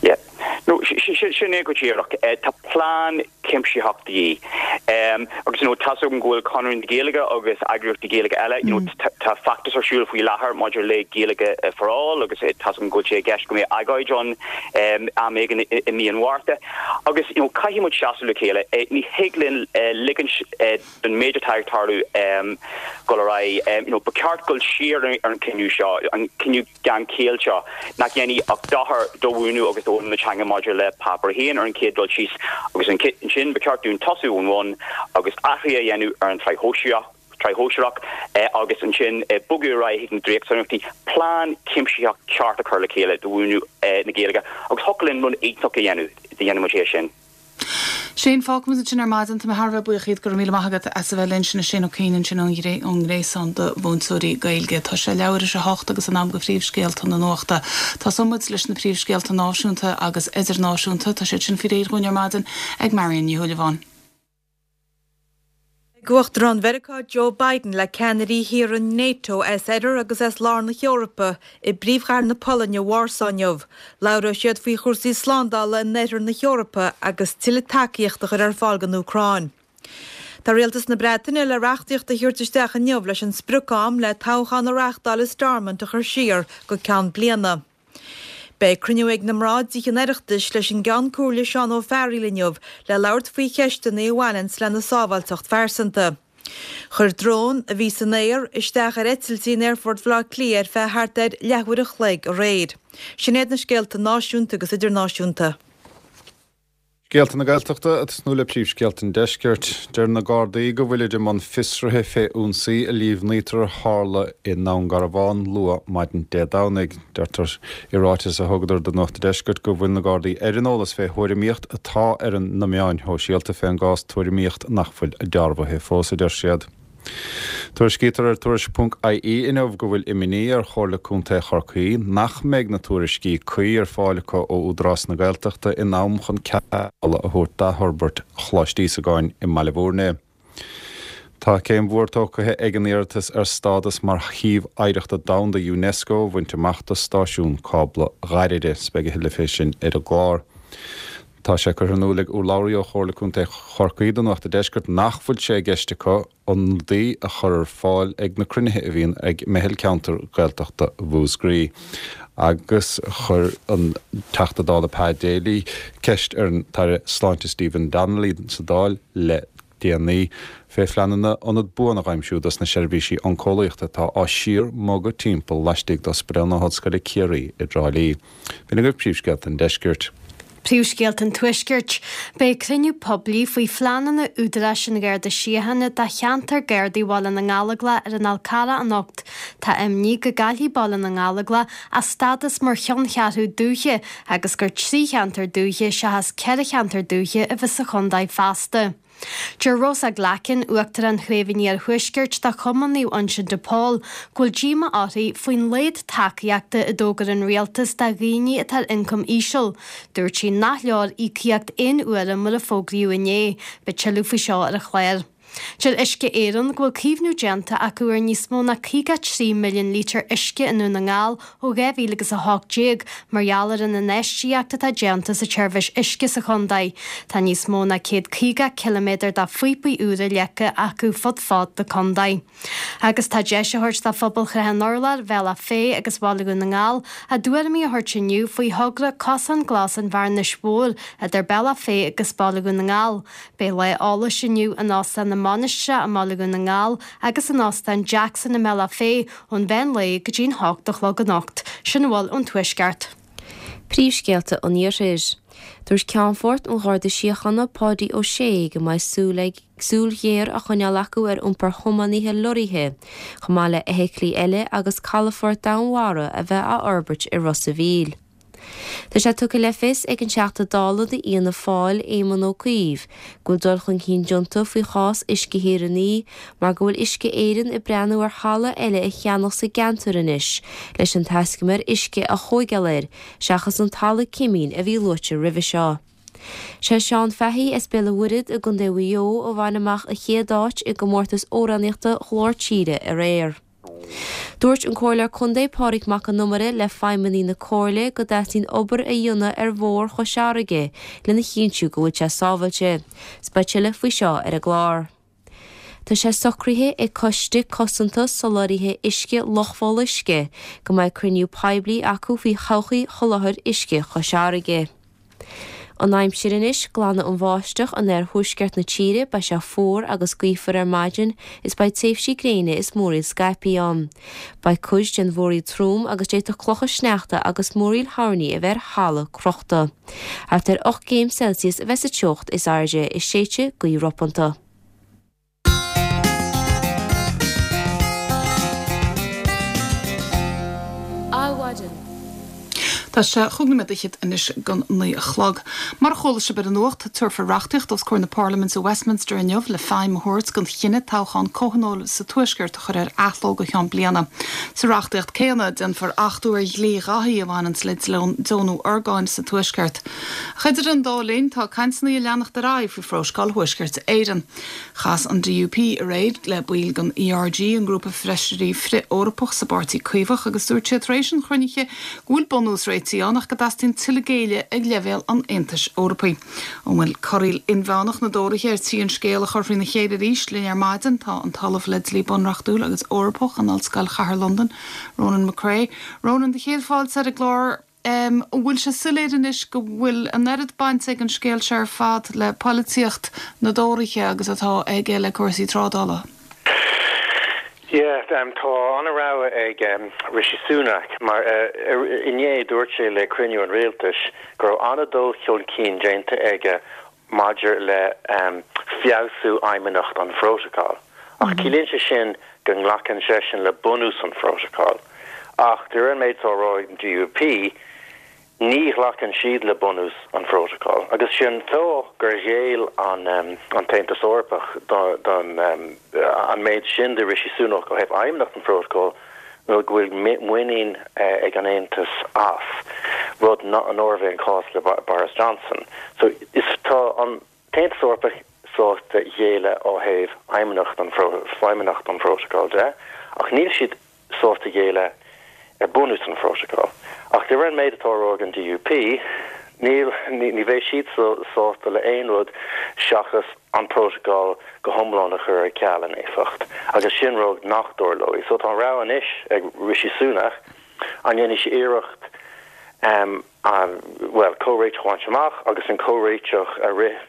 Yeah. No, sin é go díreach. Tá plean cuimsitheach de dhíth. Agus, you know, tá's agam go bhfuil Conradh na Gaeilge agus eagraíochtaí Gaeilge eile, you know, tá feachtas ar siúl faoi láthair maidir le Gaeilge for All agus tá's agam go bhfuil sé i gceist go mbeidh agóid ann am éigin i mí an Mhárta. Agus, you know, caithfidh muid seasamh le chéile. Ní thig linn ligint don méid atá ag tarlú dul ar aghaidh. You know, ba cheart dul siar ar an cinneadh seo, an cinneadh gan chiall seo, nach dhéanfaidh ach dochar do mhúineadh agus d'fhoghlaim na teanga maidir le Páipéar a haon ar an chéad dul síos agus ansin ba cheart dúinn tosú ón bhun sin agus athruithe a dhéanamh ar an tsraith shóisearach agus ansin bogadh ar aghaidh chuig na dréachtsonraíochtaí, plean cuimsitheach ceart a chur le chéile do mhúineadh na Gaeilge agus thiocfadh linn rud iontach a dhéanamh dá ndéanadh muid é sin. Shane, fágfaimid ansin ar maidin. Tá mé thar a bheith buíoch díot, go raibh míle maith agat as a bheith linn. Sin é Shane Ó Cuinn ansin ón nGréasán do Mhúinteoirí Gaeilge. Tá sé leathuair tar éis a hocht agus in am do phríomhscéalta na nuachta. Tosóidh muid leis na príomhscéalta náisiúnta agus idirnáisiúnta. Tá siad sin faoi réir dhúinn ar maidin ag Marion Ní Shúilleabháin. Ag Uachtarán Mheiriceá Joe Biden le ceannairí thíortha NATO as oirthear agus as lár na hEorpa i bpríomhchathair na Polainne, Vársá inniu. Labhróidh siad faoi chúrsaí slándála in oirthear na hEorpa agus tuilleadh tacaíochta a chur ar fáil don Úcráin. Tá rialtas na Breataine le reachtaíocht a thabhairt isteach inniu leis an sprioc-am le toghchán a reáchtáil i Stormont a chur siar go ceann bliana. Beidh cruinniú ag na mná i dTithe an Oireachtais leis an gCeann Comhairle Seán Ó Fearghaíl inniu le labhairt faoi cheisteanna a bhaineanns lena sábháilteacht phearsanta. Chuir drón a bhí san aer isteach ar eitiltí in Aerfort Bhaile Átha Cliath ar feadh thart ar leathuair a chloig aréir. Sin iad na scéalta náisiúnta agus idirnáisiúnta. Scéalta na Gaeltachta ag tosnú le príomhscéalta an Deiscirt. Deir na Gardaí go bhfuilid i mbun fiosraithe fé ionsaí a líomhnaítear a tharla i nDún Garbhán luath maidin Dé Domhnaigh. Deirtear i ráiteas a thugadar do Nuacht an Deiscirt go bhfuil na Gardaí ar an eolas fé thuairimíocht atá ar na meáin shóisialta fén gcás, tuairimíocht nach bhfuil dearbhaithe fós, a deir siad. Tuairiscítear ar Tuairisc ponc IE inniu go bhfuil imní ar Chomhairle Contae Chorcaí nach mbeidh na tuairiscí cuí ar fáil acu ó Údarás na Gaeltachta in am chun cead pleanála a thabhairt d'athfhorbairt Choláiste Íosagáin i mBaile Bhúirne. Tá céim mhór tógtha ag an iarratas ar stádas mar Shuíomh Oidhreachta Domhanda Unesco a bhaint amach do stáisiún cábla Ghairire. Beidh a thuilleadh fé sin ar an gclár. Tá sé curtha in iúl ag urlabhraí ó Chomhairle Contae Chorcaí do Nuacht an Deiscirt nach bhfuil sé i gceist acu ionadaí a chur ar fáil ag na cruinnithe a bhíonn ag Meitheal Ceantar Gaeltachta Mhúscraí. Agus chuir an Teachta Dála Pa Daly ceist ar an tAire Sláinte Stephen Donnelly sa Dáil le déanaí fé phleananna ionad buan a dh'aimsiú dos na seirbhísí oncólaíochta atá á síor-mbogadh timpeall laistigh d'Ospidéal na hOllscoile Ciarraí i dTrá Lí. B'in agaibh príomhscéalta an Deiscirt. Príomhscéalta an Tuaiscirt. Beidh cruinniú poiblí faoi phleananna Údaráis an Gharda Síochána do cheantar Gardaí Bhaile na nGallóglach ar an Fhál Carrach anocht. Tá imní go gcaillfidh Baile na nGallóglach a stádas mar cheanncheathrú dúiche agus gur trí cheantar dúiche seachas ceithre cheantar dúiche a bheas sa chontae feasta. Deir Rosa Glackin, Uachtarán Chraobh an Iarthuaiscirt de Chumann Naomh Uinseann de Pól, go bhfuil díomá uirthi faoin laghad tacaíochta a d'fhógair an rialtas do dhaoine atá ar ioncam íseal. Dúirt sí nach leor íocaíocht aon uaire mar a fógraíodh inné. Beidh tuilleadh faoi seo ar an chlár. Deir Uisce Éireann go bhfuil caomhnú déanta acu ar níos mó ná caoga trí milliún lítear uisce i nDún na nGall ó dhá mhíle agus a hocht déag mar gheall ar an infheistíocht atá déanta sa tseirbhís uisce sa chontae. Tá níos mó ná céad caoga ciliméadar de phíopaí úra leagtha acu fud fad na contae. Agus tá deis á thabhairt do phobal Shrath an Urláir, Bhealach Féich agus Bhaile Dhún na nGall a dtuairimí a thabhairt inniu faoi thogra Cosán Glas an Bhearnais Mhóir idir Bealach Féich agus Baile Dhún na nGall. Beidh lá eolais inniu in Óstán na Mainistreach i mBaile Dhún na nGall agus in Óstán Jackson i mBealach Féich ón mheán lae go dtí'n hocht a chlog anocht. Sin a bhfuil ón Tuaisceart. Príomhscéalta an Iarthair. Dúirt Ceannfort an Gharda Síochána Páidí Ó Sé go mbeidh súil ag súil ghéar á choinneáil acu ar iompar thiománaithe lorraithe, chomh maith le feithiclí eile agus calafort domhainmhara a bheith á fhorbairt i Ros a' Mhíl. Tá sé tugtha le fios ag an Teachta Dála d'Fhianna Fáil, Éamon Ó Cuív, go bhfuil dul chun cinn déanta faoi chás Uisce Thír an Fhia mar go bhfuil Uisce Éireann ag breathnú ar thalamh eile a cheannach sa gceantar anois leis an taiscumar uisce a thóigeáil air seachas an talamh cimín a bhí luaite roimhe seo. Sé Seán Fahey as Béal an Mhuirthead i gContae Mhaigh Eo a bhain amach an chéad áit i gcomórtas amhránaíochta Ghlór Tíre aréir. Dúirt an Comhairleoir Contae Pádraig Mac Con Iomaire le feidhmeannaigh na Comhairle go dteastaíonn obair a dhéanamh ar Bhóthar Chois Fharraige lena chinntiú go bhfuil sé sábháilte. 'S beidh tuilleadh faoi seo ar an gclár. Tá sé socraithe ag Coiste Cosanta Soláthraithe Uisce Loch Bholuisce go mbeidh cruinniú poiblí acu faoi thodhchaí sholáthar uisce Chois Fharraige. An aimsir anois, Glanfaidh an bháisteach in oirthuaisceart na tíre, beidh sé fuar agus gaofar ar maidin is beidh tréimhsí gréine is múraíl scaipthe ann. Beidh cuid den mhúraíl trom agus d'fhéadfadh clocha sneachta agus múraíl thoirní a bheith ar thalamh crochta. Thart ar ocht gcéim Celsius a bheas an teocht is airde is séidfidh gaoth ropanta. Tá sé chúig nóiméad fhichead anois don naoi a chlog. Mar a chuala sibh ar an nuacht, tabharfar reachtaíocht os comhair na Parlaiminte Westminster inniu le feidhm a thabhairt don chinneadh toghchán comhthionóil sa Tuaisceart a chur ar athló go ceann bliana. Sa reachtaíocht céanna, déanfar achtú ar dhlí Dháithí a bhaineanns le deonú orgáin sa Tuaisceart. Ach idir an dá linn, tá cainteanna ag leanacht ar aghaidh faoi Phrótacal Thuaisceart Éireann. Chas an DUP aréir le baill den ERG, an grúpa feisirí frith-Eorpach sa bPáirtí Caomhach, agus dúirt siad tar éis an chruinnithe go bhfuil bunús réitigh ann ach go dteastaíonn tuilleadh géilleadh ag leibhéal an Aontais Eorpaigh. An bhfuil corraíl inmheánach na dTóraithe ar tí an scéal a chur faoina chéile arís? Linn ar maidin tá an tOllamh le Dlí Bunreachtúil agus Eorpach in Ollscoil Chathair Londan, Ronan McCrea. Ronan, do chéad fáilte ar an gclár. An bhfuil sé soiléir anois go bhfuil an oiread bainte ag an scéal seo ar fad le polaitíocht na dTóraithe agus atá aige le cúrsaí trádála? Yeah, tá an-rogha ag Rishi Sunak mar inné dúirt sé le cruinniú an rialtais go raibh an-dul chun cinn déanta aige maidir le feabhsú fheidhmeannacht an phrótacail. Ach ciallaíonn sé sin go nglacann seisean le bunús an phrótacail. Ach de réir an méid atá á rá ag an DUP, ní ghlacann siad le bunús an phrótacail. Agus sin fáth gur ghéill an an tAontas Eorpach don an méid sin de Rishi Sunak ó thaobh fheidhmeannacht an phrótacail nó go bhfuil muinín ag an Aontas as, rud nárbh é an cás le Boris Johnson. So is tá an tAontas Eorpach sásta géilleadh ó thaobh fheidhmeannacht an feidhmeannacht an phrótacail de, ach níl siad sásta géilleadh ar bunús an phrótacail. Ach de réir an méid atá á rá ag an DUP, níl ní bheidh siad sásta le aon rud seachas an prótacal go hiomlán a chur ar ceal in éifeacht, agus sin rud nach dtarlóidh. So tá an rogha anois ag Rishi Sunak, an ndéanfaidh sé iarracht an, bhuel, comhréiteach a bhaint amach agus an comhréiteach a rith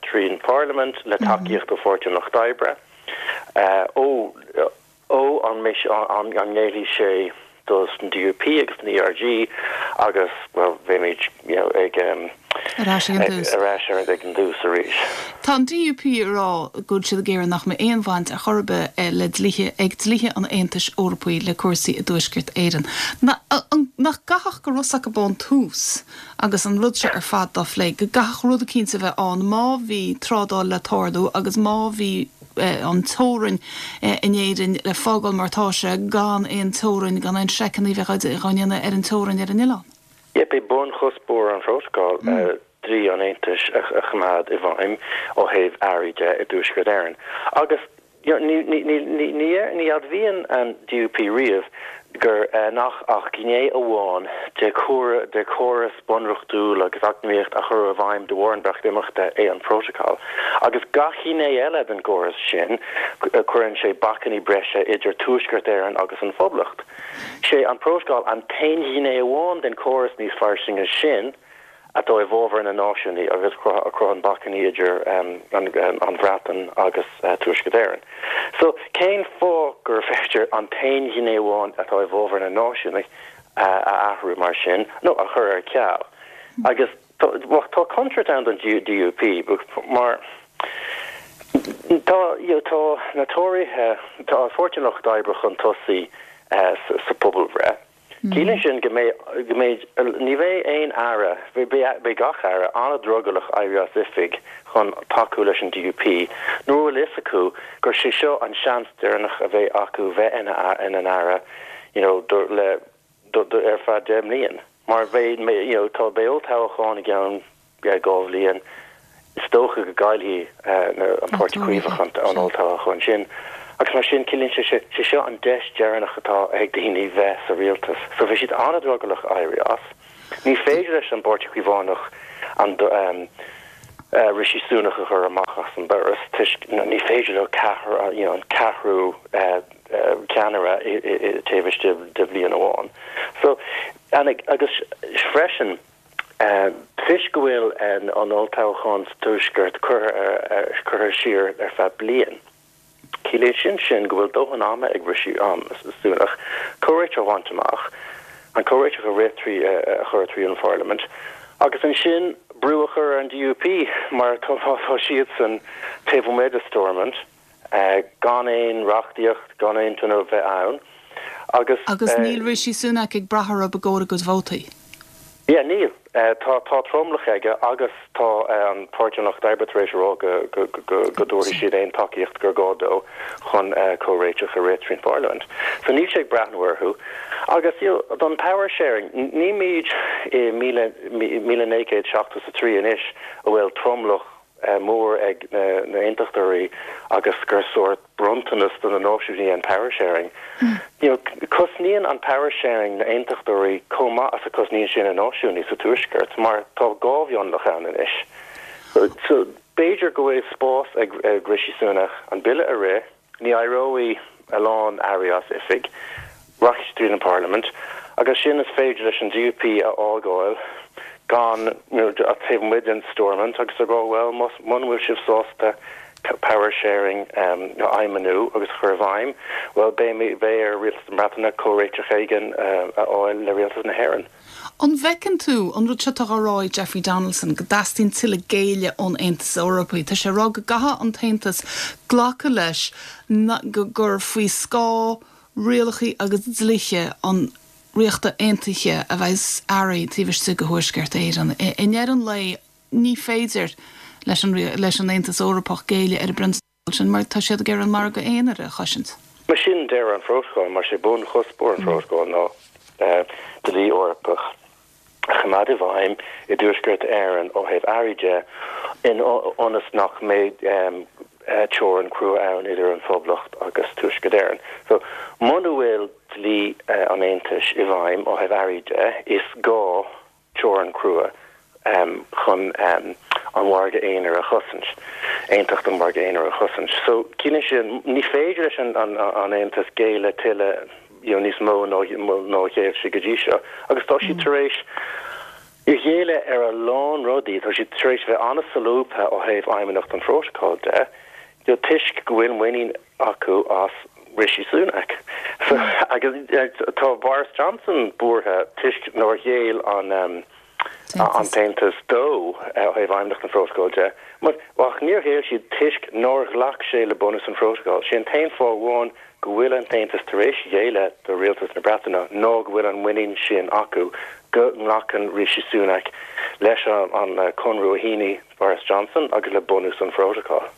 trí an Pharlaimint le tacaíocht ó Pháirtí an Lucht Oibre, ó ó an mbeidh an ngéillfidh sé dos an DUP agus an ERG agus, bhuel, beimid, you know, ag Ar ais ag an dtús. ar ais ar ag an dtús arís. Tá an DUP ag rá go bhfuil siad ag iarraidh nach mbeidh aon bhaint ar chor ar bith le dlíthe ag dlíthe an Aontais Eorpaigh le cúrsaí i dTuaisceart Éireann. Nach gcaithfeadh go raibh acu ón tús agus an rud seo ar fad dá phlé, go gcaithfeadh rud eicínt a bheith ann má bhí trádáil le tarlú agus má bhí an teorainn in Éirinn le fágáil mar atá sé, gan aon teorainn, gan aon seiceanna a bheith á ndéanamh ar an teorainn ar an oileán. Yep, b'é bunchuspóir an phrótacail dlí an Aontais a choimeád i bhfeidhm ó thaobh earraí de i dTuaisceart Éireann. Agus ní admhaíonn an DUP riamh gur nach ach gné amháin de de chóras bunreachtúil agus eacnamaíocht a chur i bhfeidhm de bharr an Bhreatimeachta é an Prótacal. Agus gach gné eile den gcóras sin, cuireann sé bacainní breise idir Tuaisceart Éireann agus an Phoblacht. Sé an Prótacal an t-aon ghné amháin den chóras níos fairsinge sin atá i bhfabhar na náisiúnaí agus a chruthaíonn bacainní idir an Bhreatain agus Tuaisceart Éireann. So, cén fáth gur féidir an t-aon ghné amháin atá i bhfabhar na náisiúnaigh a athrú mar sin, nó a chur ar ceal? Agus tá contúirt ann don DUP mar tá tá na Tóraithe, tá Páirtí an Lucht Oibre chun tosaigh sa phobalbhreith. Ciallaíonn sin go mbeidh, go mbeidh, ní bheidh aon aire, beidh gach aire an-drogallach éirí as oifig chun tacú leis an DUP nuair a bhfuil fhios acu gur sé seo an seans deireanach a bheidh acu bheith ina ina n-aire you know do le do do ar feadh deich mbliain mar beidh you know tá beidh olltoghchán i gceann dhá bhliain. Is dócha go gcaillfidh an Páirtí Caomhach an olltoghchán sin agus mar sin ciallaíonn sé sé seo an deis dheireanach atá ag daoine bheith sa rialtas. So bheidh siad an-drogallach éirí as. Ní féidir leis an bPáirtí Caomhánach an Rishi Sunak a chur amach as an doras toisc ní féidir leo ceathrar you know an ceathrú ceannaire taobh istigh de bhliain amháin. So agus freisin Toisc go bhfuil an olltoghchán sa Tuaisceart curtha siar ar feadh bliain, ciallaíonn sin sin go bhfuil dóthain ama ag Rishi Sunak comhréiteach a bhaint amach, an comhréiteach a rith trí a chur trí an Pharlaimint agus ansin brú a chur ar an DUP mar tá siadsan taobh amuigh de Stormont. gan aon reachtaíocht, gan aon tionól bheith ann agus. Agus níl Rishi Sunak ag brath orthu i gcomhair a gcuid vótaí. Yeah, níl. Tá tá tromlach aige agus tá an Páirtí an Lucht Oibre tar éis a rá go go go go dtabharfaidh siad aon tacaíocht gur gá dó chun comhréiteach a rith trín Pharlaimint. So níl sé ag breathnú orthu. Agus you know, don power sharing, nílimid i míle míle naoi gcéad seachtó is a trí anois a bhfuil tromlach mór ag na na aontachtóirí agus gur sórt bronntanas do na náisiúnaí an power sharing. You know, cosnaíonn an power sharing na aontachtóirí chomh maith as a cosnaíonn sé na náisiúnaí sa tuaisceart mar tá dhá mhionlach ann anois. So, so b'fhéidir go bhfuil spás ag, ag Rishi Sunak an bille a rith, ní éireoidh a lán airí as oifig, rachaidh tríd an Parliament, agus sin is féidir leis an DUP a fhágáil gan taobh amuigh den Stormont agus a rá well muna bhfuil sibh sásta power sharing um, a fheidhmiú agus chur i bhfeidhm, well beidh beidh ar rialtas na Breataine comhréiteach éigin uh, a fháil le rialtas na hÉireann. An bhfeiceann tú an rud seo atá á rá ag Jeffrey Donaldson go dteastaíonn tuilleadh géilleadh ón Aontas Eorpach. Tá sé ag rá go gcaithfidh an tAontas glacadh leis go gur faoi scáth rialacha agus dlíthe an Ríochta Aontaithe a bheas earraí taobh istigh de Thuaisceart Éireann. I ndeireadh an lae ní féidir leis an leis an Aontas Eorpach géilleadh ar an bprionsabal sin mar tá siad ag iarraidh an margadh aonair a chosaint. Mar sin deireadh an phrótacail mar sé bunchuspóir an phrótacail ná dlí Eorpach a choimeád i bhfeidhm i dTuaisceart Éireann ó thaobh earraí de in ionas nach mbeidh teorainn crua ann idir an Phoblacht agus Tuaisceart Éireann. So muna bhfuil dlí an Aontais i bhfeidhm ó thaobh earraí de, is gá teorainn crua um, chun um, an mhargadh aonair a chosaint, aontacht an mhargadh aonair a chosaint. So cinneadh sin ní féidir leis an, an, an Aontas géilleadh tuilleadh you know, níos mó ná ná ghéill sé go dtí seo. Agus tá siad tar éis géilleadh ar a lán rudaí, tá siad tar éis bheith an-solúbtha ó thaobh fheidhmeannacht an phrótacail de, you know, toisc go bhfuil muinín acu as Rishi Sunak. So, agus tá Boris Johnson buartha toisc nár ghéill an um, an tAontas dó ó thaobh fheidhmeannacht an phrótacail de. Mar ach níor ghéill siad toisc nár ghlac sé le bunús an phrótacail. Sé an t-aon fáth amháin go bhfuil an tAontas tar éis géilleadh do rialtas na Breataine ná go bhfuil an muinín sin acu go nglacann Rishi Sunak leis an, an conradh a shínigh Boris Johnson agus le bunús an phrótacail.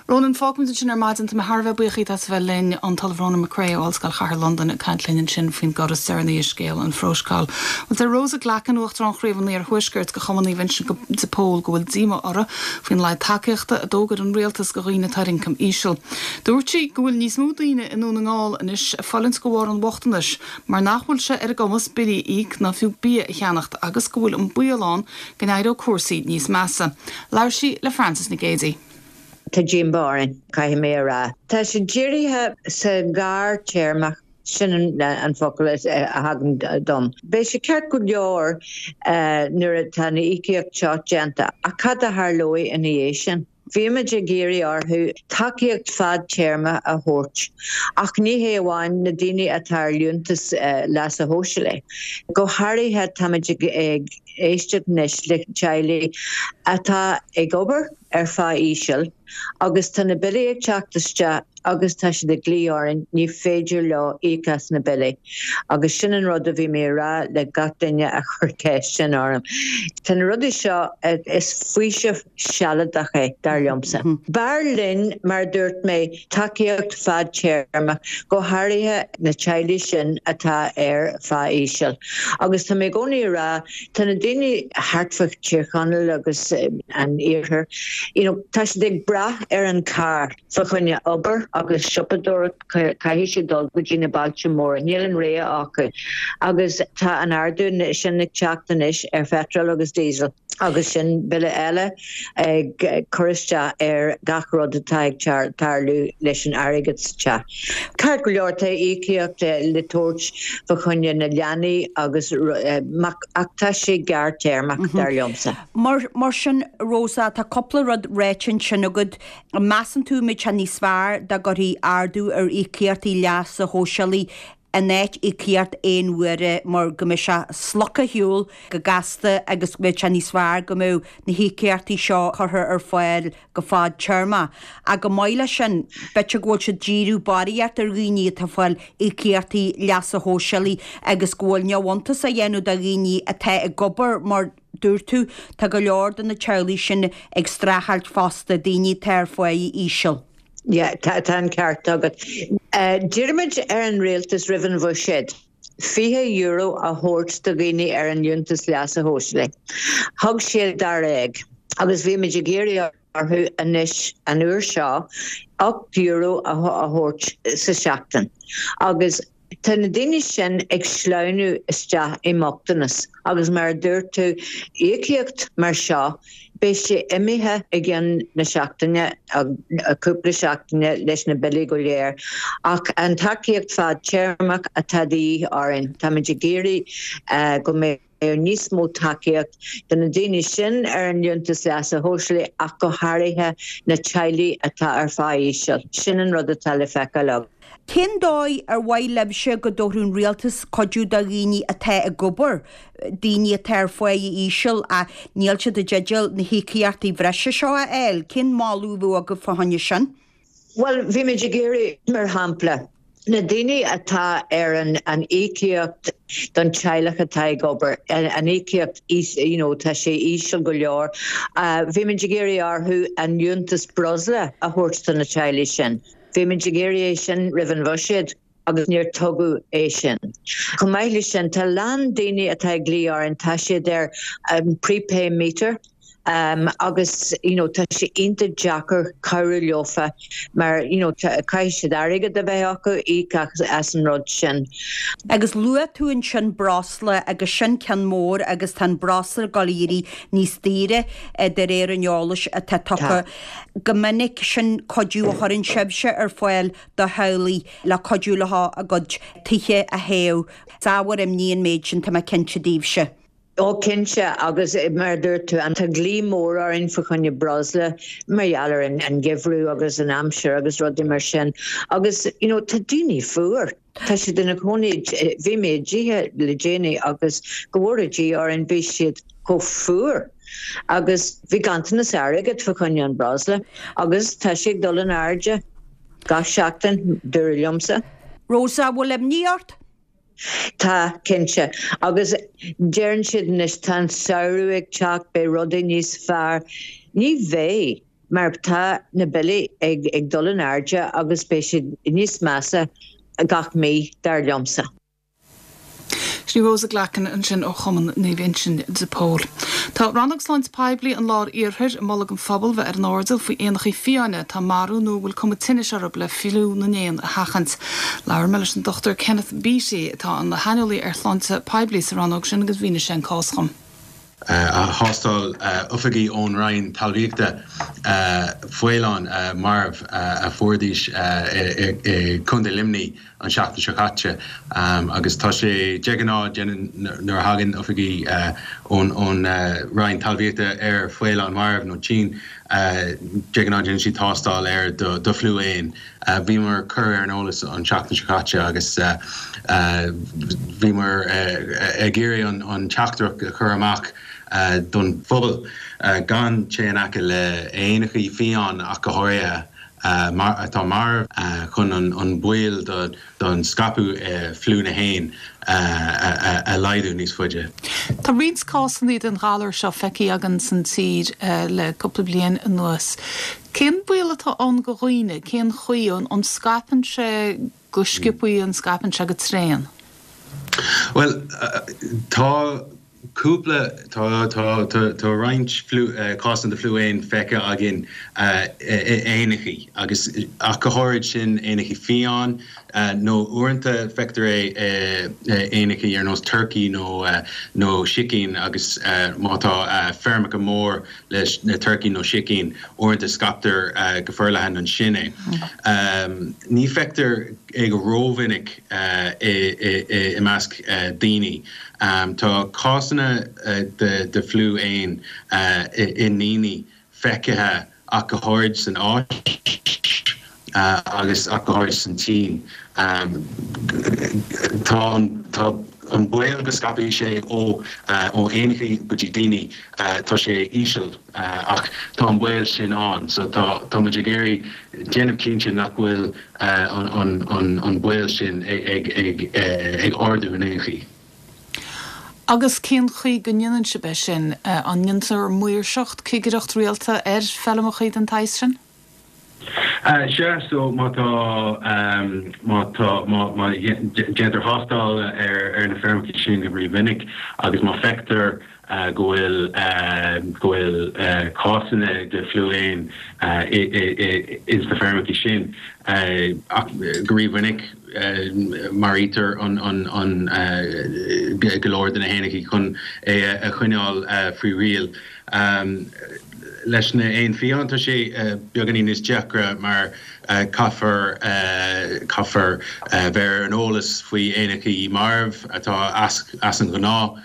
Ronan fágfaimid ansin ar maidin tá mé thar a bheith buíoch díot as a bheith linn an tOllamh Ronan McCrea ó Ollscoil Chathair Londain ag caint linn ansin faoin gcor is deireanaí i scéal an phrótacail. Well deir Rosa Glackin Uachtarán Chraobh an Iarthuaiscirt de Chumann Naomh Uinseann de Pól go bhfuil díomá uirthi faoin laghad tacaíochta a d'fhógair an rialtas do dhaoine atá ar ioncam íseal. Dúirt sí go bhfuil níos mó daoine i nDún na nGall anois ag fulaingt de bharr an bhochtanais, mar nach bhfuil sé ar a gcumas billí a íoc ná fiú bia a cheannacht agus go bhfuil an baol ann go n-éireodh cúrsaí níos measa. Labhair sí le Francis Nic Géadaigh. Tá díomá orainn caithfidh mé a rá. Tá sé dírithe sa ghearrthéarma sin an, an focal a thagann dom. Beidh sé ceart go leor uh, nuair atá na íocaíocht seo déanta ach cad a tharlóidh ina dhiaidh sin. Bhíomar ag iarraidh orthu tacaíocht fadtéarma a thabhairt, ach ní hé amháin na daoine atá ar liúntas uh, leasa shóisialaigh. Go háirithe táimid ag, ag éisteacht anois le teaghlaigh atá ag obair ar phá íseal agus tá na billí ag teacht isteach agus tá siad ag glaoch orainn ní féidir leo íoc as na billí. Agus sin an rud a bhí mé rá le gach duine a chuir ceist sin orm. Tá na rudaí seo is faoiseamh sealadach é dar liomsa. B'fhearr linn mar dúirt mé tacaíocht fadtéarma go háirithe na teaghlaigh sin atá ar phá íseal. Agus tá mé i gcónaí rá tá na daoine thart fá Tír Chonaill agus an iarthar. You know, tá siad ag brath ar an car fa choinne obair agus siopadóireacht caithfidh siad dul go dtí na bailte móra, níl an rogha acu. Agus tá an ardú sin ag teacht anois ar phetrol agus diesel. agus sin bille eile ag cur isteach ar gach rud atá ag tarlú leis an airgead sa teach. Ceart go leor tá íocaíocht le tabhairt fa choinne na leanaí agus ach tá sé gearrthéarmach dar liomsa. Mar, mar sin Rosa tá cúpla rud ráite ansin agat measann tú mbeadh sé níos fearr dá gcuirfí ardú ar íocaíochtaí leasa shóisialaigh in áit íocaíocht aon uaire mar go mbeidh sé slogtha ar shiúl go gasta agus go mbeadh sé níos fearr go mbeadh na híocaíochtaí seo curtha ar fáil go fadtéarmach. Ach chomh maith leis sin, b'fhéidir go bhfuil siad ag díriú barraíocht ar dhaoine atá ag fáil íocaíochtaí leasa shóisialaigh agus go bhfuil neamhiontas á dhéanamh de dhaoine atá ag obair mar dúirt tú, tá go leor de na teaghlaigh sin ag streachailt fosta, daoine atá ar pháigh íseal. Yeah, tá tá an ceart agat. D'iarr muid ar an rialtas roimh an bhuiséad fiche euro a thabhairt do dhaoine ar an liúntas leasa shóisialaigh. Thug siad dáréag agus bhí muid ag iarraidh orthu anois an uair seo ocht euro a thabhairt sa seachtain. Agus tá na daoine sin ag sleamhnú isteach i mbochtanas agus mar a dúirt tú, íocaíocht mar seo, beidh sé imithe i gcionn na seachtaine, cúpla seachtaine leis na billí go léir. Ach an tacaíocht fadtéarmach atá de dhíth orainn, táimid ag iarraidh go mbeidh níos mó tacaíocht do na daoine sin ar an liúntas leasa shóisialaigh ach go háirithe na teaghlaigh atá ar phá íseal. Sin an rud atá le feiceáil againn. Cén dóigh ar mhaith libhse go dtabharfadh an rialtas cuidiú do dhaoine atá ag obair, daoine atá ar pháigh íseal ach níl siad i dteideal na híocaíochtaí bhreise seo a fháil? Cén moladh a bheadh agaibh fá choinne sin? Bhuel, bhí muid ag iarraidh, mar shampla, na daoine atá ar an an íocaíocht don teaghlach atá ag obair, an íocaíocht you know, tá sé íseal go leor, bhí muid ag iarraidh orthu an liúntas breosla a thabhairt do na teaghlaigh sin. Bhí muid ag iarraidh é sin roimh an bhuiséad agus níor tugadh é sin. Chomh maith leis sin, tá a lán daoine atá ag glaoch orainn, tá siad ar an prepay meter, Um, agus you know, tá sé iontach deacair cabhrú leofa mar you know, caithfidh siad airgead a bheith acu íoc as an rud sin. Agus luaigh tú ansin breosla agus sin ceann mór agus tá an breosla ag dul ag éirí níos daoire eh, de réir an eolais atá tugtha. Go minic sin cuidiú a chuireann sibhse ar fáil do theaghlaigh le cuidiú leo a gcuid tithe a théamh. Is ábhar imní an méid sin tá mé cinnte daoibhse. Ó cinnte agus mar a dúirt tú an tá glaoch mór orainn fá choinne breosla mar gheall ar an an geimhreadh agus an aimsir agus rudaí mar sin agus you know tá daoine fuar. Tá siad ina gcónaí bhí mé i dtithe le déanaí agus go bhfóire Dia orainn bhí siad chomh fuar agus bhí ganntanas airgid fá choinne an breosla agus tá sé ag dul in airde gach seachtain dúradh liomsa. Rosa, bhfuil imní ort? Tá, cinnte. Agus deireann siad anois tá an samhradh ag teacht, beidh rudaí níos fearr. Ní bheidh, mar tá na billí ag ag dul in airde agus beidh siad níos measa gach mí, dar liomsa. Sin í Rosa Glackin ansin ó Chumann Naomh Uinseann de Pól. Tá Rannóg Sláinte Poiblí an Lár Iarthair ag moladh don phobal bheith ar an airdeall faoi éanachaí fiáine atá marbh nó a bhfuil cuma tinnis orthu le fliú na n-éan a sheachaint. Labhair mé leis an Dochtúir Kenneth Beattie atá ina shaineolaí ar shláinte poiblí sa rannóg sin agus mhínigh sé an cás dhom. Thástáil oifigigh ón Roinn Talmhaíochta faoileán marbh a fuaireadar i gContae Luimnigh an seachtain seo caite agus tá sé de ghnáth nuair a thagann oifigigh ón Roinn Talmhaíochta ar faoileán marbh nó tinn de ghnáth déanann siad tástáil air do fliú éan. Bhíomar curtha ar an eolas an tseachtain seo caite agus bhíomar ag iarraidh an teachtaireacht a chur amach don phobal gan téamh in aice le éanachaí fiáin ach go háirithe atá marbh chun an baol don scaipeadh fliú na héan a laghdú níos faide. Tá roinnt cásanna den ghalar seo feicthe againn san tír le cúpla bliain anuas. Cén baol atá ann do dhaoine, cén chaoi an scaipeann sé go sciobtha, an scaipeann sé go tréan? Bhuel, tá cúpla, tá, tá, tá, tá roinnt fliú, cásanna de fliú éan feicthe againn i éanachaí agus ach go háirid sin éanachaí fiáin nó uaireanta feictear é i éanachaí ar nós turcaí nó nó sicín agus má tá feirmeacha mór leis na turcaí nó sicín uaireanta scaiptear go forleathan ansin é. Ní feictear é go rómhinic i measc daoine. Tá cásanna de fliú éan i ndaoine feicthe ach go háirid san Áis agus ach go háirithe san tSín. Tá tá an baol go scaipfidh sé ó ó éanachaí go dtí daoine, tá sé íseal ach tá an baol sin ann so tá tá muid ag iarraidh déanamh cinnte nach bhfuil an an an an baol sin ag ag ag ardú in aon chaoi. Agus cén chaoi go ndéanann sibh é sin? An ndéantar maoirseacht, cigireacht rialta ar feirmeacha den tsaghas sin? Sea, so má tá má tá má má déantar tástáil ar ar na feirmeacha sin go rímhinic agus má feictear go bhfuil go bhfuil cásanna de fliú éan ins na feirmeacha sin ach go rímhinic maraítear an an an go leor de na héanachaí chun é a choinneáil faoi riail. Leis na éin fiáin tá sé beagáinín níos deacra mar caithfear caithfear bheith ar an eolas faoi éanachaí marbh atá as as an ghnáth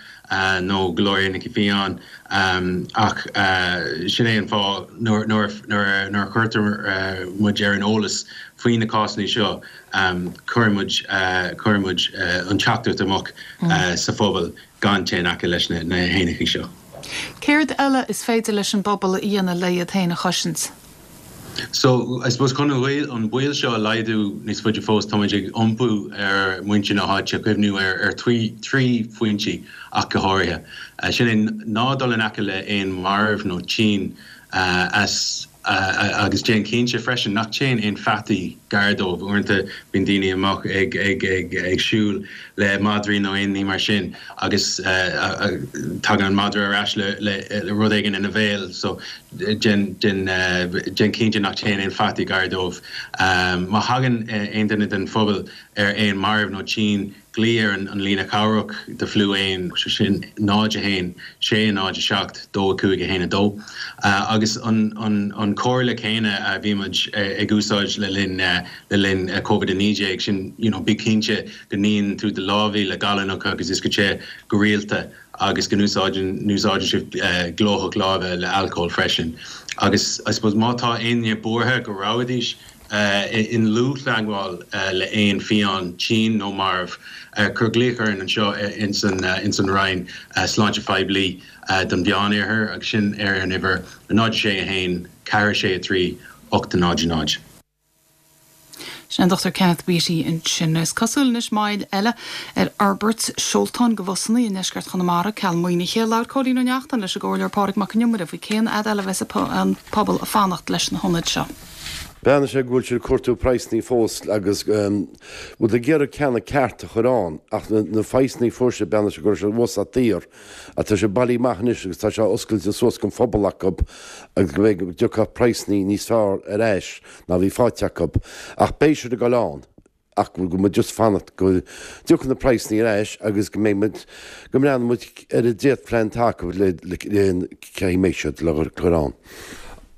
nó go leor éanachaí fiáin ach sin é an fáth nuair nuair nuair a chuirtear muid ar an eolas faoi na cásanna seo cuireann muid cuireann muid an teachtaireacht amach sa phobal gan téigh in aice leis na na héanachaí seo. Céard eile is féidir leis an bpobal a dhéanamh le iad féin a chosaint? So, I suppose chun an baol seo a laghdú níos faide fós, táimid ag iompú ar muintir na háite cuimhniú ar ar trí trí phointí ach go háirithe. Sin é ná dul in aice le éan marbh nó tinn as agus déan cinnte freisin nach téann aon pheataí gar dóibh. Uaireanta bíonn daoine amach ag ag ag ag siúl le madraí nó aon ní mar sin agus tagann an madra ar ais le le rud éigin ina bhéal so déan déan déan cinnte nach téann aon pheataí gar dóibh. Má thagann aon duine den phobal ar éan marbh nó tinn, glaoigh ar an líne chabhrach do fliú éan, sé sin náid a haon, sé náid a seacht, dó a cúig a haon a dó. Agus an an an comhairle céanna a bhí muid ag úsáid le linn le linn Covid a naoi déag, sin you know bí cinnte go níonn tú do lámha le gallúnach agus uisce te go rialta agus go n-úsáideann n-úsáideann sibh glóthach láimhe le alcól freisin. Agus I suppose má tá éinne buartha go rabhadís i ndlúth-theagmháil le éan fiáin, tinn nó marbh, cuir glaoch orainn anseo ins an Roinn Sláinte Phoiblí don Mheánoirthear agus sin ar an uimhir náid sé a haon, ceathair sé a trí, ocht a náid a náid. Sin an Dochtúir Kenneth Beattie ansin. Is cosúil anois moill eile ar fhorbairt seoltáin do bhusanna i ndeisceart Chonamara, ceal maoinithe. Labhair Cóilín Ó Neachtain leis an gComhairleoir Pádraig Mac Con Iomaire faoi cén fhad eile a bheas an pobal ag fanacht leis na hionaid seo. Breathnaigh sé go bhfuil siad ag cuartú praghsanna fós agus bhfuil ag iarraidh ceanna ceart a chur ann ach na praghsanna a fuair siad breathnaigh sé go raibh sé uasal daor ach tá sé bailithe amach anois agus tá sé oscailte suas don phobal acu agus go mbeidh go dtiocfadh praghsanna níos fearr ar ais ná bhí faighte acu ach beidh siad ag dul ann ach go muid just fanacht go dtiocfaidh na praghsanna ar ais agus go mbeidh muid go mbreathnóidh muid ar an dréachtphlean atá acu le le cé mbeidh siad le cur ann.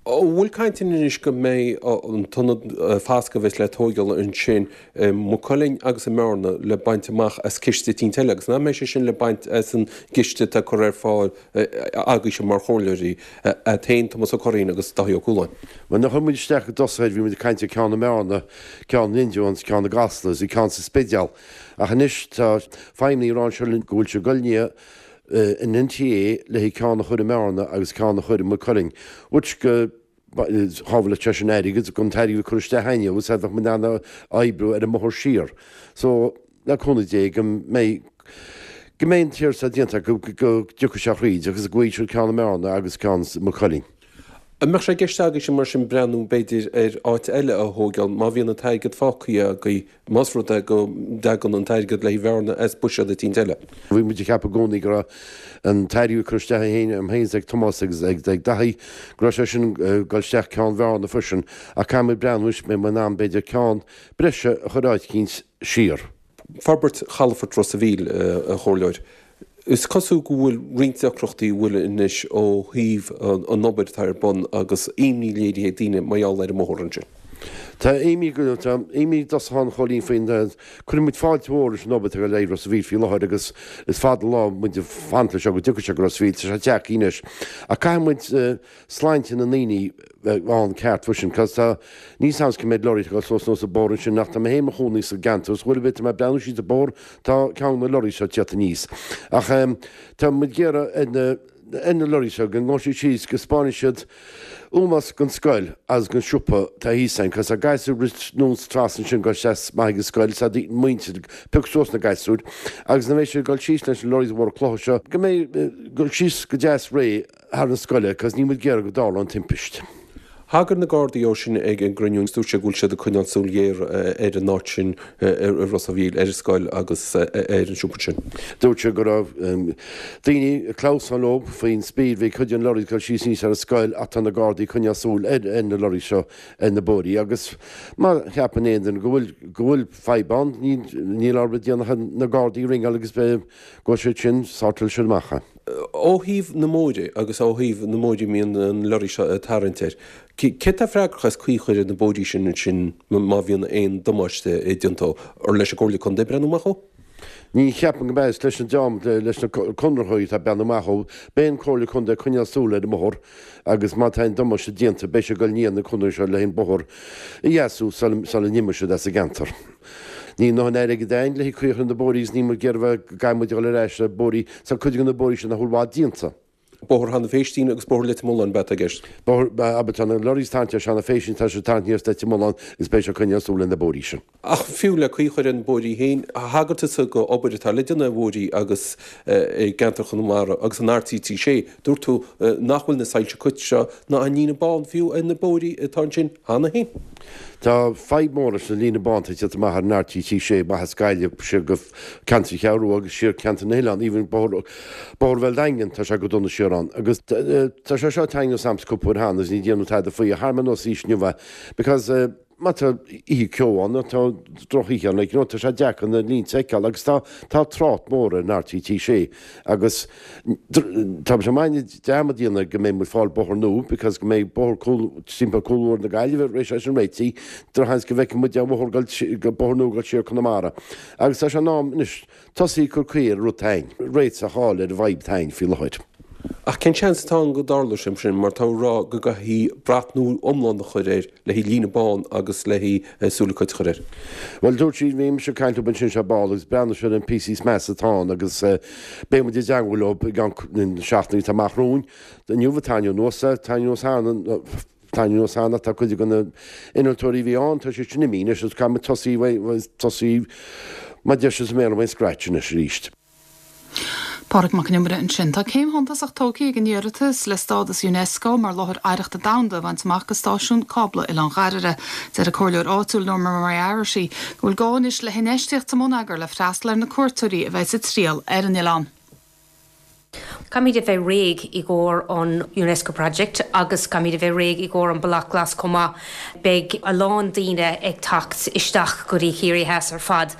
An bhfuil caint anois go mbeidh an t-ionad fasctha a bheas le tóigeáil ansin i Maigh Cuilinn agus i mBearna le baint amach as ciste eicínt eile agus nach mbeidh sé sin le baint as an gciste atá curtha ar fáil agaibhse mar chomhairleoirí, iad féin, Tomás Ó Curraoin agus Dáithí Ó Cualáin? Bhuel, nuair a chuir muid isteach i dtosach air, bhí muid ag caint ar ceann i mBearna, ceann in Indreabhán, ceann i gCasla agus ceann sa Spidéal. Ach anois tá feidhmeannaigh ag rá anseo linn go bhfuil siad ag dul i ndiaidh an N T A le haghaidh ceann a chur i mBearna agus ceann a chur i Maigh Cuilinn, which go shábhálfadh sé sin airgead, an t-airgead a cur isteach againne agus bheadh muid in ann oibriú ar an mbóthar siar. So, le cúnamh Dé, go mbeidh go mbeidh an t-iarratas seo déanta go go dtiocfaidh sé thríd agus go bhfaighidh siad ceann i mBearna agus ceann i Maigh Cuilinn. An mbeadh sé i gceist agaibhse mar sin breathnú b'fhéidir ar áit eile a thóigeáil má bhíonn an t-airgead fágtha agaibh, más rud é go dtagann an t-airgead le haghaidh Bhearna as buiséad eicínt eile? Bhí muid ag ceapadh i gcónaí go raibh an t-airgead a curtha isteach agam féin is ag Tomás agus ag Daithí, go raibh sé sin ag dul isteach ceann Bhearna freisin ach caithfidh muid breathnú anois, mbeidh muid in ann b'fhéidir ceann breise a chur áit eicínt siar. Forbairt Chalafort Ros a' Mhíl, a Chomhairleoir. Is cosúil go bhfuil roinnt deacrachtaí a bhfuil anois ó thaobh an obair atá ar bun agus imní léirithe ag daoine mar gheall ar an mbóthar ansin. Tá imní tá imní i dtosach ann a Chóilín faoin cuireann muid fáilte mhór leis an obair atá ag dul ar Ros a' Mhíl faoi láthair agus is fada an lá muid ag fanacht leis seo go dtiocfaidh sé go Ros a' Mhíl, tá sé tagtha anois. Ach caithfidh muid sláinte na ndaoine bheith ann ceart freisin cos tá níl 's a'm cé mhéad lorry atá ag dul suas anuas an bóthar ansin ach tá mé féin i mo chónaí sa gceantar agus uair ar bith tá mé ag breathnú síos an bóthar tá ceann de na lorries seo ag tíocht aníos. Ach tá muid ag iarraidh ar na ar na lorries seo go ngabhfaidh siad síos go spáinfidh siad ómós don scoil agus don siopa atá thíos ann cos tá gasúir ag rith anuas trasna ansin ag dul isteach amach ag an scoil is tá muintir ag piocadh suas na gasúir agus nuair a bheidh siad ag dul síos leis na lorries mhóra clocha seo go mbeidh ag dul síos go deas réidh thar an scoile cos níl muid ag iarraidh go dtarlódh aon timpist. Thagair na Gardaí dó sin ag an gcruinniú agus dúirt sé go bhfuil siad ag coinneáil súil ghéar ar an áit sin i Ros a' Mhíl, ar an scoil agus ar an siopa sin. Dúirt sé go raibh daoine ag clamhsán leo faoin speed, bhí cuid de na lorries ag dul síos aníos ar an scoil ach tá na Gardaí ag coinneáil súil ar na lorries seo ar na bóithrí agus má cheapann aon duine go bhfuil go bhfuil fadhb ann níl orthu rud a dhéanamh ach na Gardaí a ringeáil agus beidh go siad sin sortáil siad amach é. Ó thaobh na mbóithre agus ó thaobh na mbóithre a mbíonn na lorraí seo ag tarraingt air, cé atá freagrach as caoi a chur ar na bóithrí sin ansin má bhíonn aon damáiste déanta? Ar leis an gComhairle Contae breathnú amach dhó? Ní cheapaim go mbeidh, is leis an dream, leis na conraitheoirí atá ag breathnú amach dhó. Beidh an Comhairle Contae ag coinneáil súil ar an mbóthar agus má tá aon damáiste déanta beidh sé ag dul i ndiaidh na conraitheoirí seo le an bóthar a dheasú sula n-imeoidh siad as an gceantar. Níl a ndóthain airgid a'inn le caoi a chur ar na bóithrí agus níl muid ag iarraidh bheith go gcaithfidh muid a dhul ar ais le bóithrí, tá cuid de na bóithrí sin nach bhfuil i bhfad déanta. Bóthar Sheanadh Phéistín agus Bóthar Leitir Mealláin ab ea atá i gceist? Bóthar, abair, tá na lorries ag tarraingt ar Seanadh Phéistín, tá siad ag tarraingt aníos Leitir Mealláin agus beidh sé ag coinneáil súil ar na bóithrí sin. Ach fiú le caoi a chur ar na bóithrí féin, thagair tusa go obair atá le déanamh ar bhóithrí agus i gceantar Chonamara agus an R T trí sé, dúirt tú nach bhfuil na soilse coit seo ná an líne bán fiú ar na bóithrí atá ansin cheana féin. Tá fadhb mór leis an líne bán atá ag tíocht amach ar an R T trí sé amach as Gaillimh siar go ceantar Cheathrú Rua agus siar ceantar na nOileán, even bóthar Bóthar Bhéal Daingean, tá sé go dona siar ann. Agus tá sé seo tarraingthe anuas a'msa cúpla uair cheana agus ní déanadh tada faoi ach tharraing mé anuas arís inniu é because má tá oíche ceo ann nó tá drochoíche ann like you know tá sé deacair na línte a fheiceáil agus tá tá trácht mór ar an R T trí sé agus tá sé maith dearmad a dhéanamh go mbeidh muid fáil bóthar nua because go mbeidh bóthar cúl timpeall cúl mhór na Gaillimhe tar éis é sin réitithe drochsheans go bhfeicfidh muid an bóthar go bóthar nua ag dul siar Conamara agus tá sé in am anois tosaí ag cur caoi ar an rud atá a'inn, réiteach a fháil ar an bhfadhb atá a'inn faoi láthair. Ach cén seans atá ann go dtarlóidh sé sin mar tá tú ag rá go gcaithfí brat nua iomlán a chur air le haghaidh líne bán agus le haghaidh súile coit a chur air? Bhuel, dúirt siad, bhí mise ag caint leo ansin ar ball agus breathnóidh siad ar na píosaí is measa atá ann agus beidh muid i dteangmháil leo i gceann na seachtainí atá amach romhainn. Inniu a tarraingeadh anuas é, tarraingeadh anuas cheana, tarraingeadh anuas cheana ach tá cuid de na innealtóirí a bhí ann, tá siad sin imithe anois agus caithfidh muid tosaí, tosaí mar a deir siad sa mBéarla ón scratch anois arís. Pádraig Mac Con Iomaire ansin. Tá céim shuntasach tógtha ag an iarratas le stádas Unesco mar Láthair Oidhreachta Domhanda a bhaint amach do Stáisiún Cábla Oileán Dháirire. Deir an comhairleoir áitiúil Norma Moriarty go bhfuil gá anois le hinfheistíocht sa mbonneagar le freastal ar na cuairteoirí a bheidh ag triall ar an oileán. Caithfimid a bheith réidh i gcomhair an Unesco Project agus caithfimid a bheith réidh i gcomhair an Bealach Glas chomh maith. Beidh a lán daoine ag teacht isteach go dtí Ciarraí Theas ar fad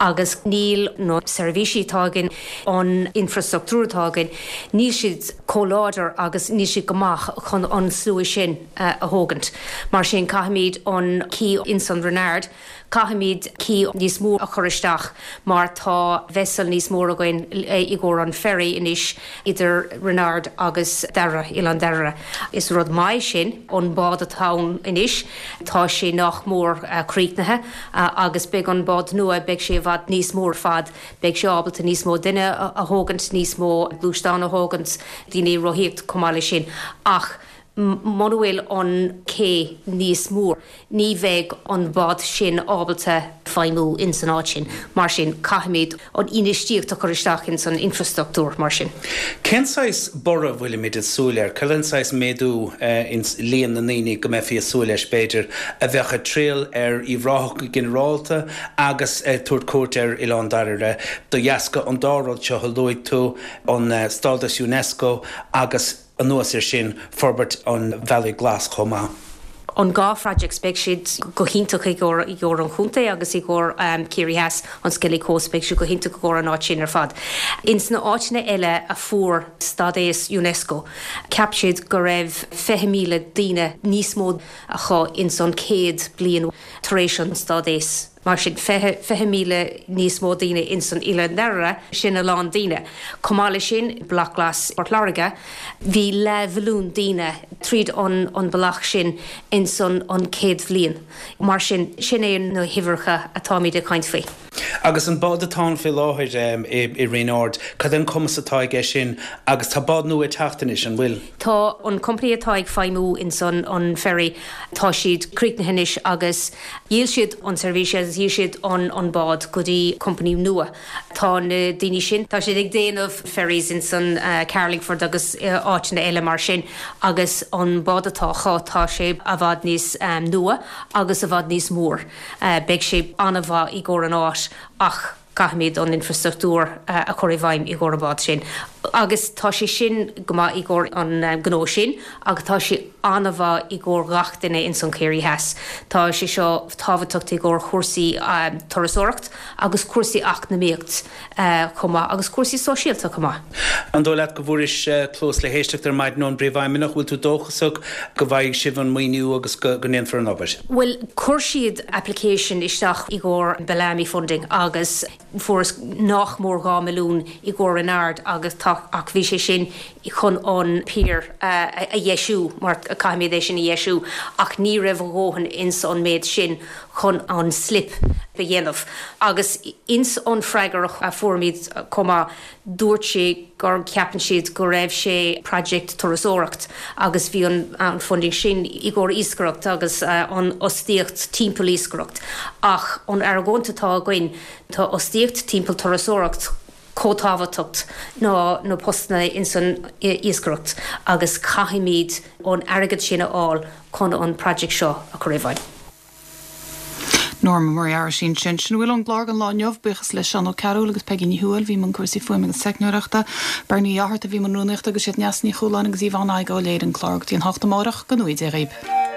agus níl na seirbhísí atá againn, an infrastruchtúr atá againn, níl siad chomh láidir agus níl siad go maith chun an slua sin a thógaint. Mar sin caithfimid an quay insan Renard, Caithfimid quay níos mó a chur isteach mar tá vessel níos mór againn i gcomhair an ferry anois idir Renard agus Doire, Oileán Dhoire. Is rud maith sin, an bád atá ann anois, tá sé nach mór críochnaithe agus beidh an bád nua, beidh sé i bhfad níos mó ar fad, beidh sé ábalta níos mó duine a thógaint, níos mó gluaisteán a thógaint, daoine rothaíocht chomh maith leis sin ach muna bhfuil an cé níos mór, ní bheidh an bád sin ábalta feidhmiú ins an áit sin. Mar sin, caithfimid an infheistíocht a chur isteach ins an infrastruchtúr mar sin. Cén saghas borradh a bhfuilimid ag súil air? Cén saghas méadú ins líon na ndaoine go mbeifí ag súil leis, b'fhéidir, a bheadh ag triall ar Uíbh Ráthach go ginearálta agus ag tabhairt cuairt ar Oileán Dhoire de dheasca an dá rud seo a luaigh tú, an stádas Unesco agus, Anuas air sin, forbairt an Bhealaigh Ghlais chomh maith. An dhá projects beidh siad go hiontach i gcomhair i gcomhair an chontae agus i gcomhair um, Ciarraí Theas an Skellig Coast beidh siad go hiontach i gcomhair an áit sin ar fad. Ins na áiteanna eile a fuair stádas UNESCO, cheap siad go raibh fiche míle daoine níos mó acu ins an céad bliain tar éis an stádas. Mar sin fiche fiche míle níos mó daoine ins an Oileán Dháiríre, sin a lán daoine. Chomh maith leis sin, Bealach Glas Port Láirge, bhí leathmhilliún daoine tríd an an bealach sin ins an an chéad bhliain. Mar sin, sin é na huimhreacha atáimid ag caint faoi. Agus an bád atá ann faoi láthair i Rinn Ard, cad é an cumas atá aige sin agus tá bád nua ag teacht anois, an bhfuil? Tá an company atá ag feidhmiú ins an an ferry, tá siad críochnaithe anois agus dhíol siad an seirbhís agus dhíol siad an an bád go dtí company nua. Tá na daoine sin, tá siad ag déanamh ferries ins an Carlingford agus áiteanna eile mar sin agus an bád atá acu tá sé i bhfad níos nua agus i bhfad níos mór. Beidh sé an-mhaith i gcomhair an áit ach caithfimid an infrastruchtúr a chur i bhfeidhm i gcomhair an bád sin. Agus tá sé sin go maith i gcomhair an gnó sin agus tá sé an-mhaith i gcomhair gach duine ins an Ciarraí Theas. Tá sé seo tábhachtach i gcomhair chúrsaí turasóireacht agus cúrsaí eacnamaíocht chomh maith agus cúrsaí sóisialta chomh maith. An dóigh leat go bhfuairis cluas le héisteacht ar maidin ón bPríomhfheidhmeannach? Bhfuil tú dóchasach go bhfaighidh sibh an maoiniú agus go ndéanfar an obair? Bhuel, chuir siad application isteach i gcomhair Bellamy funding agus fuarthas nach mór dhá milliún i gcomhair Rinn Ard agus tá ach bhí sé sin chun an pier a dheisiú mar caithfimid é sin a dheisiú ach ní raibh a dhóthain ins an méid sin chun an slip a dhéanamh. Agus ins an freagra a fuairimid chomh maith dúirt sé gur ceapann siad go raibh sé project turasóireacht agus bhí an an funding sin i gcomhair iascaireacht agus an fhostaíocht timpeall iascaireacht ach an argóint atá againn tá fhostaíocht timpeall turasóireacht chomh tábhachtach ná na postanna ins an iascaireacht agus caithfimid an airgead sin a fháil chun an project seo a chur i bhfeidhm. Norma Moriarty ansin. Sin a bhfuil ón gclár don lá inniu, buíochas le Seán Ó Cearúil agus Peigí Ní Thuathail, bhí i mbun cúrsaí fuaime agus teicneoireachta, Bernie Fhátharta a bhí i mbun rúnaíochta agus siad Neasa Ní Chualáin agus Yvonne Tadhg a léirigh an clár go dtí an hocht amárach, go ngnóthaí Dia dhaoibh.